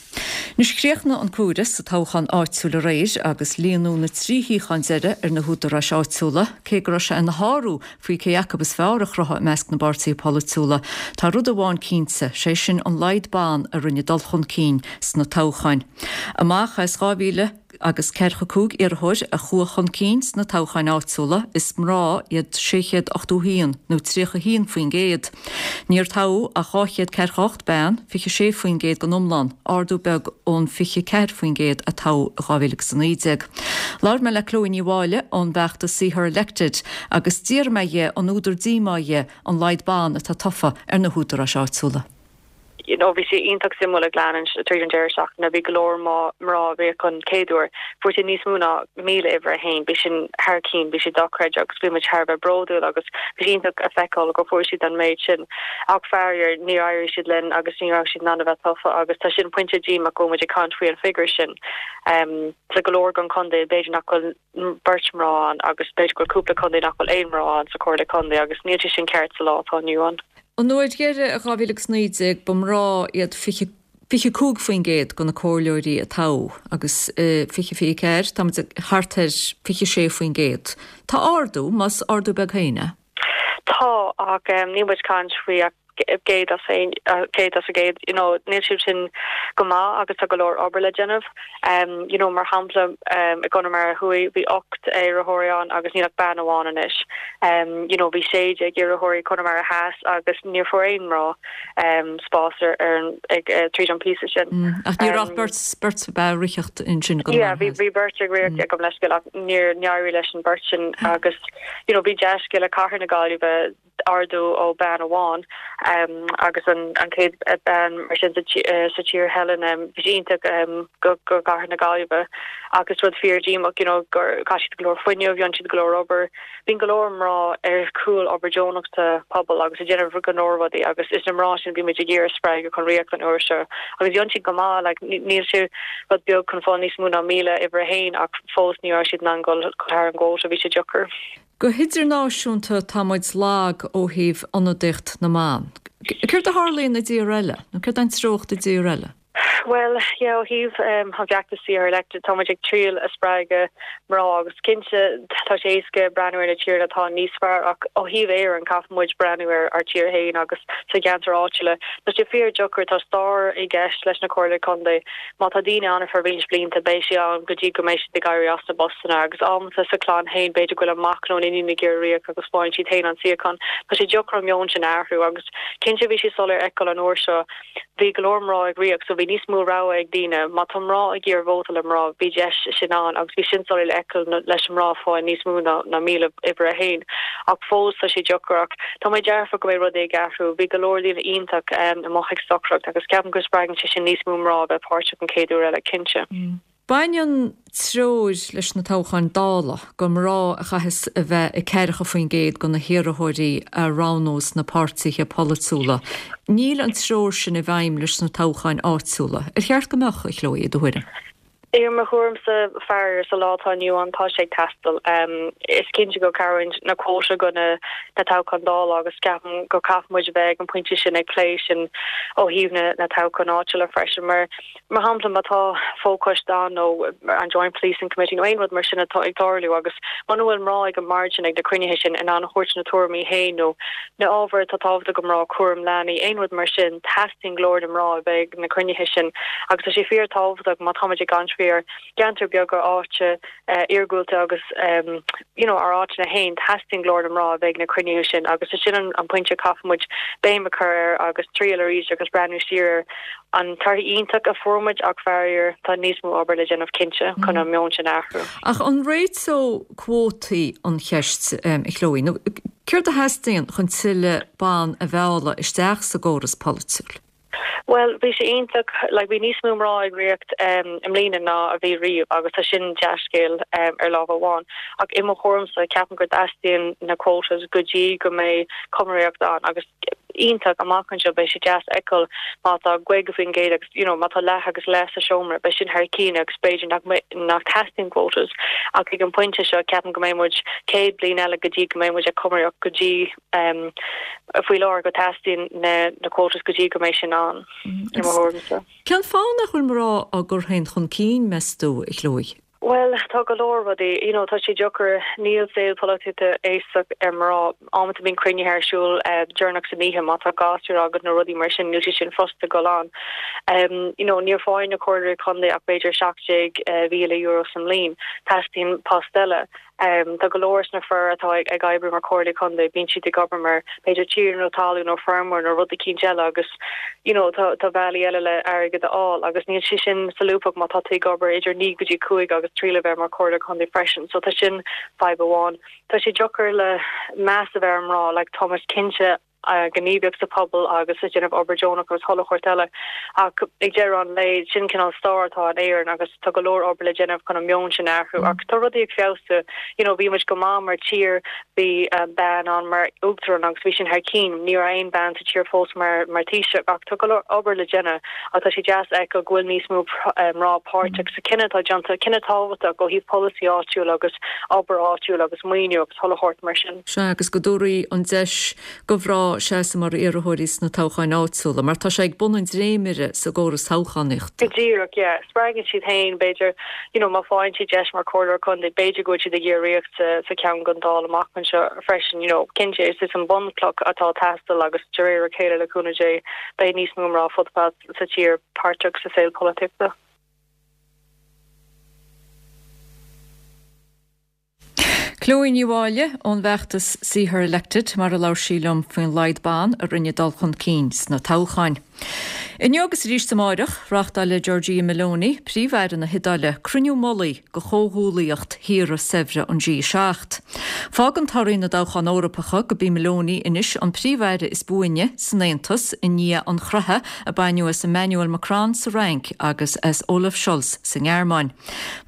Anois chríochnaigh an comhaireamh sa toghchán áitiúil aréir agus líonadh na 3 shuíochán deiridh ar na húdaráis áitiúla, cé go raibh sé ina shárú faoi cé acu is fearr a chruthaigh i measc na bpáirtithe polaitiúla. Tá rud amháin cinnte, sé sin an laghad ban a rinne dul chun cinn sna toghcháin. Amach as 2,000 agus 45 iarrthóir a chuaigh chun cinn sna toghcháin áitiúla, is mná iad 681, nó 31%. Níor toghadh ach 248 bean, 26% den iomlán, ardú beag ón 24% a toghadh i 2019. Labhair mé le Chloe Ní Mháille ón bhfeachtas See Her Elected agus d'fhiafraigh mé dhi an údar díomá dhi an laghad ban atá tofa ar na húdaráis áitiúla. You know bhí sé iontach suimiúil ag leanúint tríd an deireadh seachtaine. Bhí go leor mná ag rith chun chéad uair. Fuair siad níos mó ná 1,000 uimhir a haon. Bhí sin thar cinn, bhí sé dochreidte agus bhí muid thar a bheith bródúil agus bhí sé iontach a feiceáil gur fuair siad an méid sin. Ach faraor níor éirigh siad linn agus ní raibh siad in ann a bheith tofa agus tá sin pointe díomách go bhfuil muid ag caint faoi an figiúr sin. Sa go leor den chontae b'fhéidir nach bhfuil beirt mná ann agus b'fhéidir go bhfuil cúpla contae nach bhfuil aon mná ann sa chomhairle contae agus níl sé sin ceart sa lá atá inniu ann. An uair dheiridh i 2019 ba mná iad 25% de na comhairleoirí a toghadh agus i 2024 táimid ag thart ar 26%. Tá ardú, más ardú beag féin é. Tá, ach níl muid ag caint faoi ach 100 as 100, you know, níl siad sin go maith agus tá go leor obair le déanamh. You know, mar shampla, i gConamara Thuaidh bhí 8 iarrthóirí ann agus níl ach bean amháin anois. You know, bhí 16 iarrthóirí i gConamara Theas agus níor fuair aon mná spás ar ar an ag tríd an píosa sin. Ach ní raibh ach beirt beirt ab ea ag ritheacht ansin i gConamara Yeah, bhí bhí beirt ag rith gabh mo leithscéal ach níor éirigh leis an beirt sin agus you know, bhí dea-scéala Cathair na Gaillimhe ardú ó bean amháin agus an chéad bean mar sin sa tír Helen bhí sé iontach go gCathair na Gaillimhe agus rud fíor díomách you know gur chaith siad go leor fuinneamh, dhein siad go leor obair. Bíonn go leor mná ar chúl obair deonach sa pobal agus ag déanamh go leor rudaí agus is na mná sin a bhí muid ag iarraidh spreagadh chun ritheacht an uair seo agus dhein siad go maith like níl sé rud beag chun fáil níos mó ná 1,000 uimhir a haon ach fós ní raibh siad in ann dul thar an gcuóta, bhí sé deacair. Go hidirnáisiúnta tá muid lag ó thaobh ionadaíocht na mban. Céard a tharlaíonn i dtíortha eile? Nó céard é an treocht i dtíortha eile? Bhuel, yeah, ó thaobh an bhfeachtais See Her Elected, tá muid ag triail a spreagadh mná agus cinnte tá sé éasca breathnú ar na tíortha atá níos fearr ach ó thaobh Éireann caithfidh muid breathnú ar ár tír féin agus sa gceantar áitiúla. Tá sé fíor deacair, tá stair i gceist leis na comhairlí contae. Má tá daoine ann ar feadh roinnt blianta beidh siad ann go dtí go mbeidh siad ag éirí as na bpostanna agus amanta sa chlann féin b'fhéidir go bhfuil an mac nó an iníon ag iarraidh ríocht agus faigheann siad féin an suíochán. Tá sé deacair an meon sin a athrú agus cinnte bhí sé soiléir a fheiceáil an uair seo Bhí go leor mná ag ríocht so bhí níos mó rogha ag daoine. Má tá mná ag iarraidh vótáil le mná, bhí deis sin ann agus bhí sin soiléir le feiceáil leis an mná ag fáil níos mó ná 1,000 uimhir a haon. Ach fós tá sé deacair ach tá mé dearfach go mbeidh rudaí ag athrú. Bhí go leor daoine iontach amuigh ag stocaireacht agus ceapaim go spreagann sé sin níos mó mná a bheith páirteach an chéad uair eile, cinnte. Baineann treoir leis na toghcháin Dála gur mná a chaithfeas a bheith ag ceathracha faoin gcéad de na hiarrthóirí a roghnós na páirtithe polaitiúla. Níl an treoir sin i bhfeidhm leis na toghcháin áitiúla. Ar cheart go mbeadh, a Chloe, i do thuairim? I mo thuairimse, faraor, sa lá atá inniu ann, tá sé ag teastáil. Is cinnte go cabhraíonn na quota go na toghcháin Dála agus ceapaim go caithfidh muid a bheith ag an pointe sin ag plé sin ó thaobh na toghcháin áitiúla freisin mar Mar shampla, má tá fochoiste ann nó an Joint Policing Committee nó aon rud mar sin atá ag tarlú agus muna bhfuil mná ag an mbord sin, ag na cruinnithe sin, in ann a thabhairt na tuairimí féin nó na ábhair atá tábhachtach do mná, cúram leanaí, aon rud mar sin, teastaíonn glór na mná a bheith ag na cruinnithe sin agus tá sé fíor tábhachtach má táimid ag caint faoi ár gceantar beaga áite iargúlta agus you know ár áiteanna féin, teastaíonn glór na mná a bheith ag na cruinnithe sin agus is sin an pointe a caithfidh muid béim a chur air agus triail arís agus breathnú siar ar an torthaí iontach a fuair muid ach faraor tá níos mó obair le déanamh cinnte chun an meon sin a athrú. Ach an réiteodh cuótaí an cheist, a Chloe? Nó céard a theastaíonn chun tuilleadh ban a mhealladh isteach sa gcóras polaitiúil? Bhuel, bhí sé iontach, like bhí níos mó mná ag ríocht i mbliana ná a bhí riamh agus tá sin dea-scéal ar lámh amháin. Ach i mo thuairimse, ceapaim go dteastaíonn na quotas go dtí go mbeidh cumraíocht ann agus iontach amach anseo, beidh sé deas a fheiceáil má tá 50% agus you know má tá leath agus leath sa seomra, beidh sin thar cinn agus b'fhéidir nach nach teastaíonn quotas ach ag an bpointe seo ceapaim go mbeidh muid 100 bliain eile go dtí go mbeidh muid ag cumraíocht go dtí faoi láthair go dteastaíonn na quotas go dtí go mbeidh sin ann, i mo thuairimse. Cén fáth nach bhfuil mná á gcur féin chun cinn, meas tú, a Chloe? Bhuel, tá go leor rudaí, you know, tá sé deacair, níl saol polaitíochta éasca ar mná. Amanta bíonn cruinnithe ar siúl deireanach san oíche má tá gasúir agat nó rudaí mar sin, níl sé sin furasta dul ann. You know, níor faigheann na comhairleoirí contae ach b'fhéidir €17,000 sa mbliain. Teastaíonn post eile. Tá go leor sna fir atá ag oibriú mar chomhairleoirí contae, bíonn siad ag obair mar b'fhéidir tiarna talún nó feirmeoir nó rud eicínt eile agus you know tá tá bealaí eile le airgead a fháil agus níl sé sin solúbtha má tá tú ag obair idir 9 go dtí 5 agus triail a bheith mar chomhairleoir contae freisin so tá sin fadhb amháin. Tá sé deacair le meas a bheith ar mná like tá muid cinnte gníomhaíocht sa phobal agus ag déanamh obair deonach agus chuile shórt eile. Ach ag deireadh an lae, sin cineál stair atá in Éirinn agus tá go leor obair le déanamh chun an meon sin a athrú. Ach tá rudaí ag feabhsú. You know, bhí muid go maith mar tír, bhí bean ann mar uachtarán agus bhí sin thar cinn. Ní raibh aon bean sa tír fós mar mar Taoiseach ach tá go leor obair le déanamh ach tá sé deas a fheiceáil go bhfuil níos mó mná páirteach sa cinneadh atá déanta, cinneadh tábhachtach ó thaobh polasaí áitiúil agus obair áitiúil agus maoiniú agus chuile shórt mar sin. Sea, agus go dtabharfaí an deis do mhná seasamh mar iarrthóirí sna toghcháin áitiúla, mar tá sé ag bun an dréimire sa gcóras toghchánaíochta. Go díreach, yeah. Spreagann siad féin, b'fhéidir, you know, má faigheann siad deis mar chomhairleoir contae, b'fhéidir go bhfuil siad ag iarraidh ríocht sa, sa cheann don Dáil amach anseo freisin, you know. Cinnte, is is an bunchloch atá ag teastáil agus de réir a chéile, le cúnamh Dé, beidh níos mó mná fud fad sa tír páirteach sa saol polaitíochta. Chloe Ní Mháille ón bhfeachtas See Her Elected mar a labhair sí liom faoin laghad ban a rinne dul chun cinn sna toghcháin. Inniu agus arís amáireach, reáchtálfaidh Giorgia Meloni, Príomh-Aire na hIodáile, cruinniú mullaigh de chomhghuallaíocht thíortha saibhre an G7. Fágann torthaí na dtoghchán Eorpacha gurb í Meloni anois an Príomh-Aire is buaine san Aontas i ndiaidh an chroitheadh a baineadh as Emmanuel Macron sa Fhrainc agus as Olaf Scholz sa nGearmáin.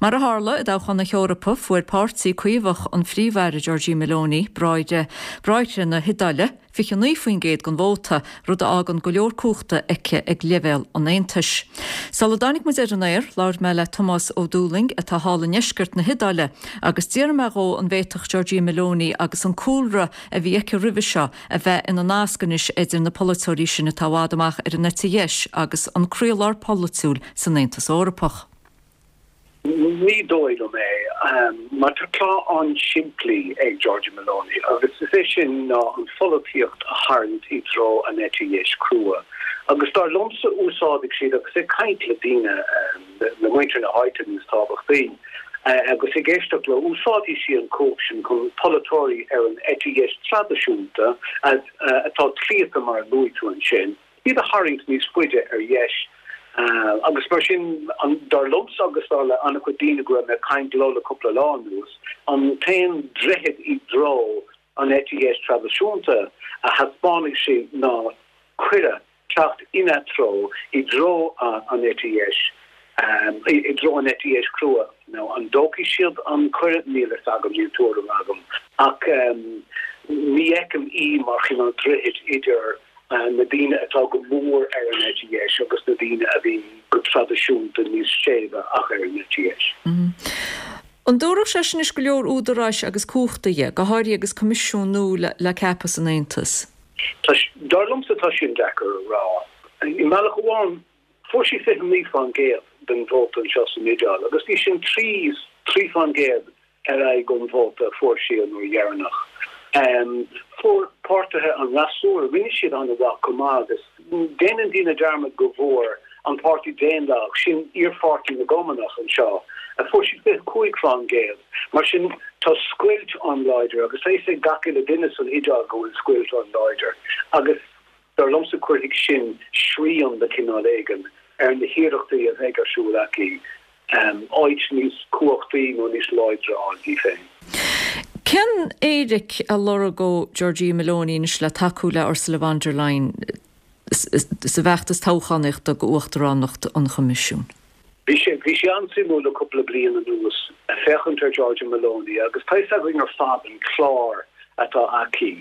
Mar a tharla i dtoghchán na hEorpa, fuair páirtí Caomhach an Phríomh-Aire Giorgia Meloni, Bráithre na hIodáile, 29% den vóta, rud a fhágann go leor cumhachta. aici ag leibhéal an Aontais. Sula dtáinig muid ar an aer, labhair mé le Tomás Ó Dúlaing, atá thall i ndeisceart na hIodáile, agus d'fhiafraigh mé dhó an bhféadfadh Giorgia Meloni agus an cúlra a bhí aici roimhe seo a bheith ina nasc anois idir na polaiteoirí sin atá i bhfad amach ar an eite dheis agus an croílár polaitiúil san Aontas Eorpach. Ní dóigh liom é, mar tá clár an-simplí ag Giorgia Meloni agus is é sin ná an pholaitíocht a tharraingt i dtreo an eite dheis crua. Agus dar liomsa úsáidfidh siad, agus ag caint le daoine, le muintir na háite níos tábhachtaí, agus ag éisteacht leo, úsáidfidh sí an chumhacht sin chun polaiteoirí ar an eite dheis traidisiúnta, atá claonta mar a luaigh tú ansin, iad a tharraingt níos faide ar dheis agus mar sin, dar liomsa agus dar le an-chuid daoine go raibh mé ag caint leo le cúpla lá anuas, an t-aon droichead i dtreo an eite dheis traidisiúnta a thaispeánfaidh sí ná cuireadh teacht ina treo, i dtreo an eite dheis, i dtreo an eite dheis chrua. Now, an dtógfaidh siad an cuireadh? Níl a fhios agam, níl tuairim agam. Ach ní fheicim í mar chineál droichid idir na daoine atá go mór ar an eite dheis agus na daoine a bhí go traidisiúnta níos séimhe ach ar an eite dheis. An dtabharfadh sé sin anois go leor údaráis agus cumhachta di, go háirithe agus coimisiún nua le ceapadh san Aontas? Tá, dar liomsa tá sin deacair a rá. I mbealach amháin, fuair sí 29% den vóta anseo san Iodáil agus bhí sin 3 3% ar aghaidh ón vóta a fuair sí an uair dheireanach. Fuair páirtithe an fhreasúra, rinne siad an-mhaith chomh maith agus déanann daoine dearmad go bhfuair an Páirtí Daonlathach, sin iarpháirtí na gCumannach anseo, fuair siad 25%. Mar sin tá scoilt an-láidir agus tá a fhios ag gach uile duine san Iodáil go bhfuil scoilt an-láidir agus Dar liomsa cuirfidh sin srian de chineál éigin ar na hiarrachtaí a bheidh ar siúl aici áit níos cumhachtaí nó níos láidre a fháil di féin. Cén éiric a lorgóidh Giorgia Meloni anois le tacú le Ursula von der Leyen sa bhfeachtas toghchánaíochta do uachtaránacht an Choimisiúin? Bhí sé, bhí sé an-suimiúil le cúpla bliain anuas féachaint ar Giorgia Meloni agus tá fhios againn ar fad an clár atá aici.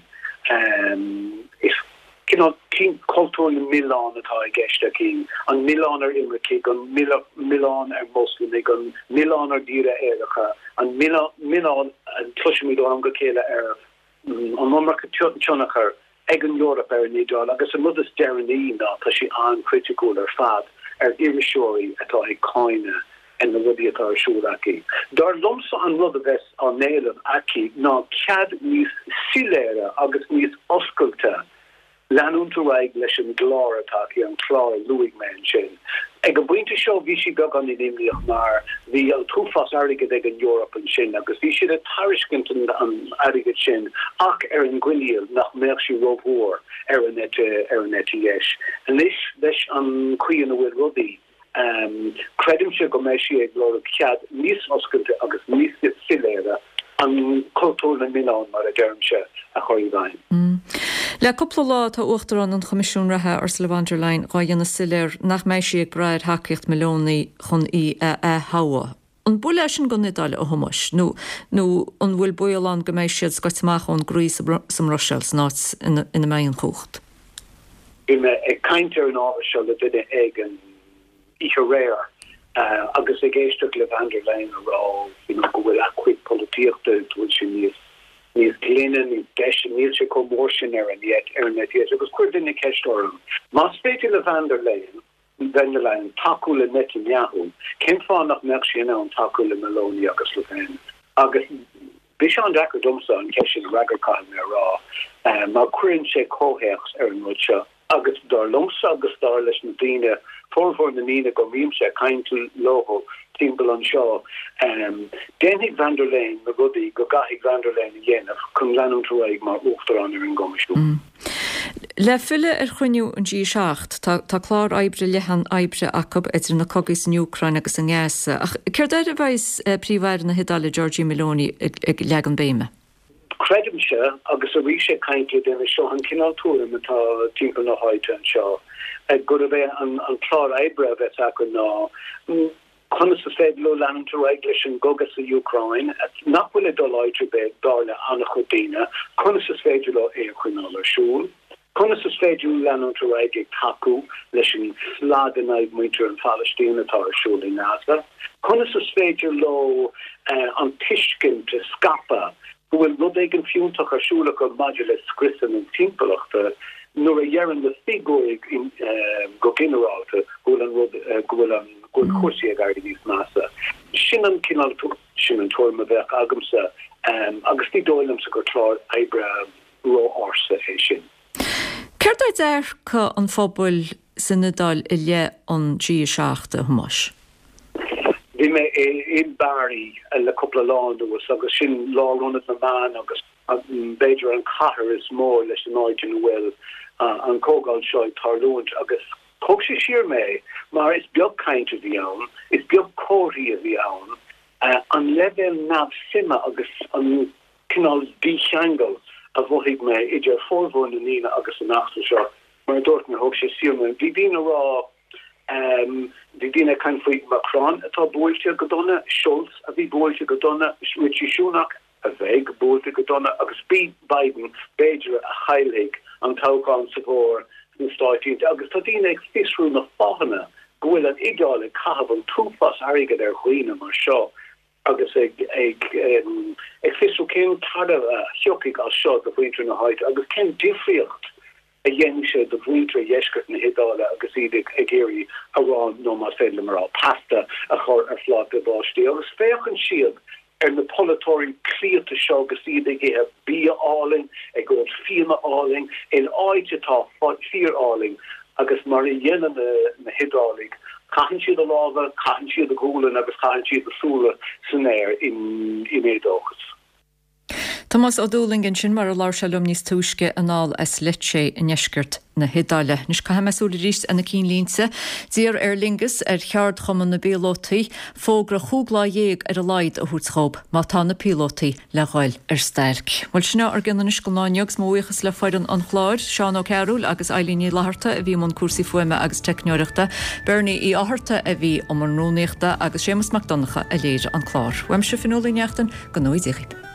Is cineál cultúr na milleán atá i gceist aici, an milleán ar imircigh, an milleán ar Mhoslamaigh, an milleán ar thíortha aeracha, an milleán a chloisimid ó am go chéile ar an iomarca tionchar ag an Eoraip ar an Iodáil agus an rud is deireanaí ná tá sí an-chriticiúil ar fad ar iriseoirí atá ag cáineadh na rudaí atá ar siúl aici. Dar liomsa an rud a bheas á n-éileamh aici ná cead níos soiléire agus níos oscailte leanúint ar aghaidh leis an gclár atá aici, an clár a luaigh mé ansin. Ag an bpointe seo bhí sí beagán imníoch mar bhí an t-uafás airgid ag an Eoraip ansin agus bhí siad ag tairiscint an airgid sin ach ar an gcoinníoll nach mbeadh sí rómhór ar an eite ar an eite dheis. Anois leis an chaoi ina bhfuil rudaí, Creidimse go mbeidh sí ag lorg cead níos oscailte agus níos soiléire an cultúr na milleán, mar a deirimse, a chur i bhfeidhm. Le cúpla lá tá Uachtarán an Choimisiúin reatha, Ursula von der Leyen, dhá dhéanamh soiléir nach mbeidh sí ag brath ar thacaíocht Meloni chun í a ath-thoghadh. An buille é sin don Iodáil, a Thomáis, nó nó an bhfuil baol ann go mbeidh siad scoite amach ón gcroí sa mBruiséil, san áit ina mbeidh an chumhacht? Bhí mé ag caint ar an ábhar seo le duine éigin oíche aréir agus ag éisteacht le Van der Leyen a rá you know go bhfuil a cuid polaitíochta, go bhfuil sé níos níos glaine, níos deise, níl sé chomh mór sin ar an ar an eite dheis. Agus chuir duine ceist orm, más féidir le Van der Leyen Van der Leyen tacú le Netanyahu, cén fáth nach mbeadh sí in ann tacú le Meloni agus Le Pen? Agus bhí sé an-deacair domsa an cheist sin a fhreagairt, caithfidh mé a rá, mar cuireann sé comhthéacs ar an rud seo. Agus dar liomsa agus dar leis na daoine, formhór na ndaoine go mbímse ag caint leo timpeall anseo, déanfaidh Van der Leyen na rudaí go gcaithfidh Van der Leyen a dhéanamh chun leanúint ar aghaidh mar Uachtarán ar an gCoimisiún. Le filleadh ar chruinniú an G7, tá clár oibre leathan oibre acu idir na cogaí san Úcráin agus i nGaza. Ach céard air a bheidh Príomh-Aire na hIodáile Giorgia Meloni ag leagan béime? Creidimse, agus arís ag caint le duine, seo an cineál tuairim atá timpeall na háite anseo, gurb é an clár oibre a bheas acu ná, Conas is féidir leo leanúint ar aghaidh leis an gcogadh sa Úcráin, nach bhfuil ag dul áit ar bith, dar le an-chuid daoine? Conas is féidir leo é a choinneáil ar siúl? Conas is. féidir leo leanúint ar aghaidh ag tacú leis an slad in aghaidh muintir an Phalaistín atá ar siúl i nGaza? Conas is féidir leo an tuiscint a scaipeadh go bhfuil rud éigin fiúntach ar siúl acu maidir le scriosadh na timpeallachta nuair a dheireann na figiúirí go ginearálta go bhfuil an rud, go bhfuil an, go bhfuil cúrsaí ag éirí níos measa? Sin an cineál, sin an tuairim a bheadh agamsa agus ní dóigh liomsa gur clár oibre ró-ársa é sin. Céard é dearcadh an phobail san Iodáil i leith an G7, a Thomáis? Bhí mé i mBari le cúpla lá anuas agus sin lárionad na meán agus b'fhéidir an chathair is mó leis an áit ina bhfuil an chomhdháil seo ag tarlúint agus thóg sé siar mé mar is beag caint a bhí ann, is beag comharthaí a bhí ann, an leibhéal neamhshuime agus an cineál dícheangal a mhothaigh mé idir formhór na ndaoine agus an eachtra seo. Mar a dúirt mé, thóg sé siar mé. Bhí daoine ag rá, bhí daoine ag caint faoi Macron atá buailte go dona, Scholz a bhí buailte go dona, Rishi Sunak a bheidh buailte go dona agus Biden b'fhéidir a chaillfidh an toghchán sa bhfómhar sna Stáit Aontaithe. Agus tá daoine ag fiosrú na fáthanna go bhfuil an Iodáil ag caitheamh an t-uafás airgid ar dhaoine mar seo. agus ag fiosrú cén tairbhe a thiocfaidh as seo do mhuintir na háite agus cén difríocht a dhéanfaidh sé do mhuintir dheisceart na hIodáile agus iad ag iarraidh arán, nó más féidir liom a rá, pasta a chur ar phláta a bpáistí. Agus féachann siad ar na polaiteoirí cleite seo agus iad ag ithe bia álainn, ag ól fíona álainn, in áit atá fíor-álainn agus mar a dhéanann na hIodálaigh, Caitheann siad a lámha, caitheann siad a gualainn agus caitheann siad a súile san aer in éadóchas. Tomás Ó Dúlaing ansin mar a labhair sé liom níos túisce anall as Lecce i ndeisceart na hIodáile. Anois caithfidh mé súil arís ar na cinnlínte. D'iarr Aer Lingus ar cheardchumann na bpíolótaí fógra chúig lá dhéag ar a laghad a thabhairt dhób má tá na píolótaí le dhul ar stailc. Bhuel, sin é ár gcion anois don lá inniu agus mo bhuíochas le foireann an chláir, Seán Ó Cearúil agus Eilín Ní Fhlatharta a bhí i mbun cúrsaí fuaime agus teicneoireachta, Bernie Uí Fhátharta a bhí i mbun rúnaíochta agus Séamus Mac Donncha a léirigh an clár. Uaimse Fionnuala Ní Neachtain, go ngnóthaí Dia dhaoibh.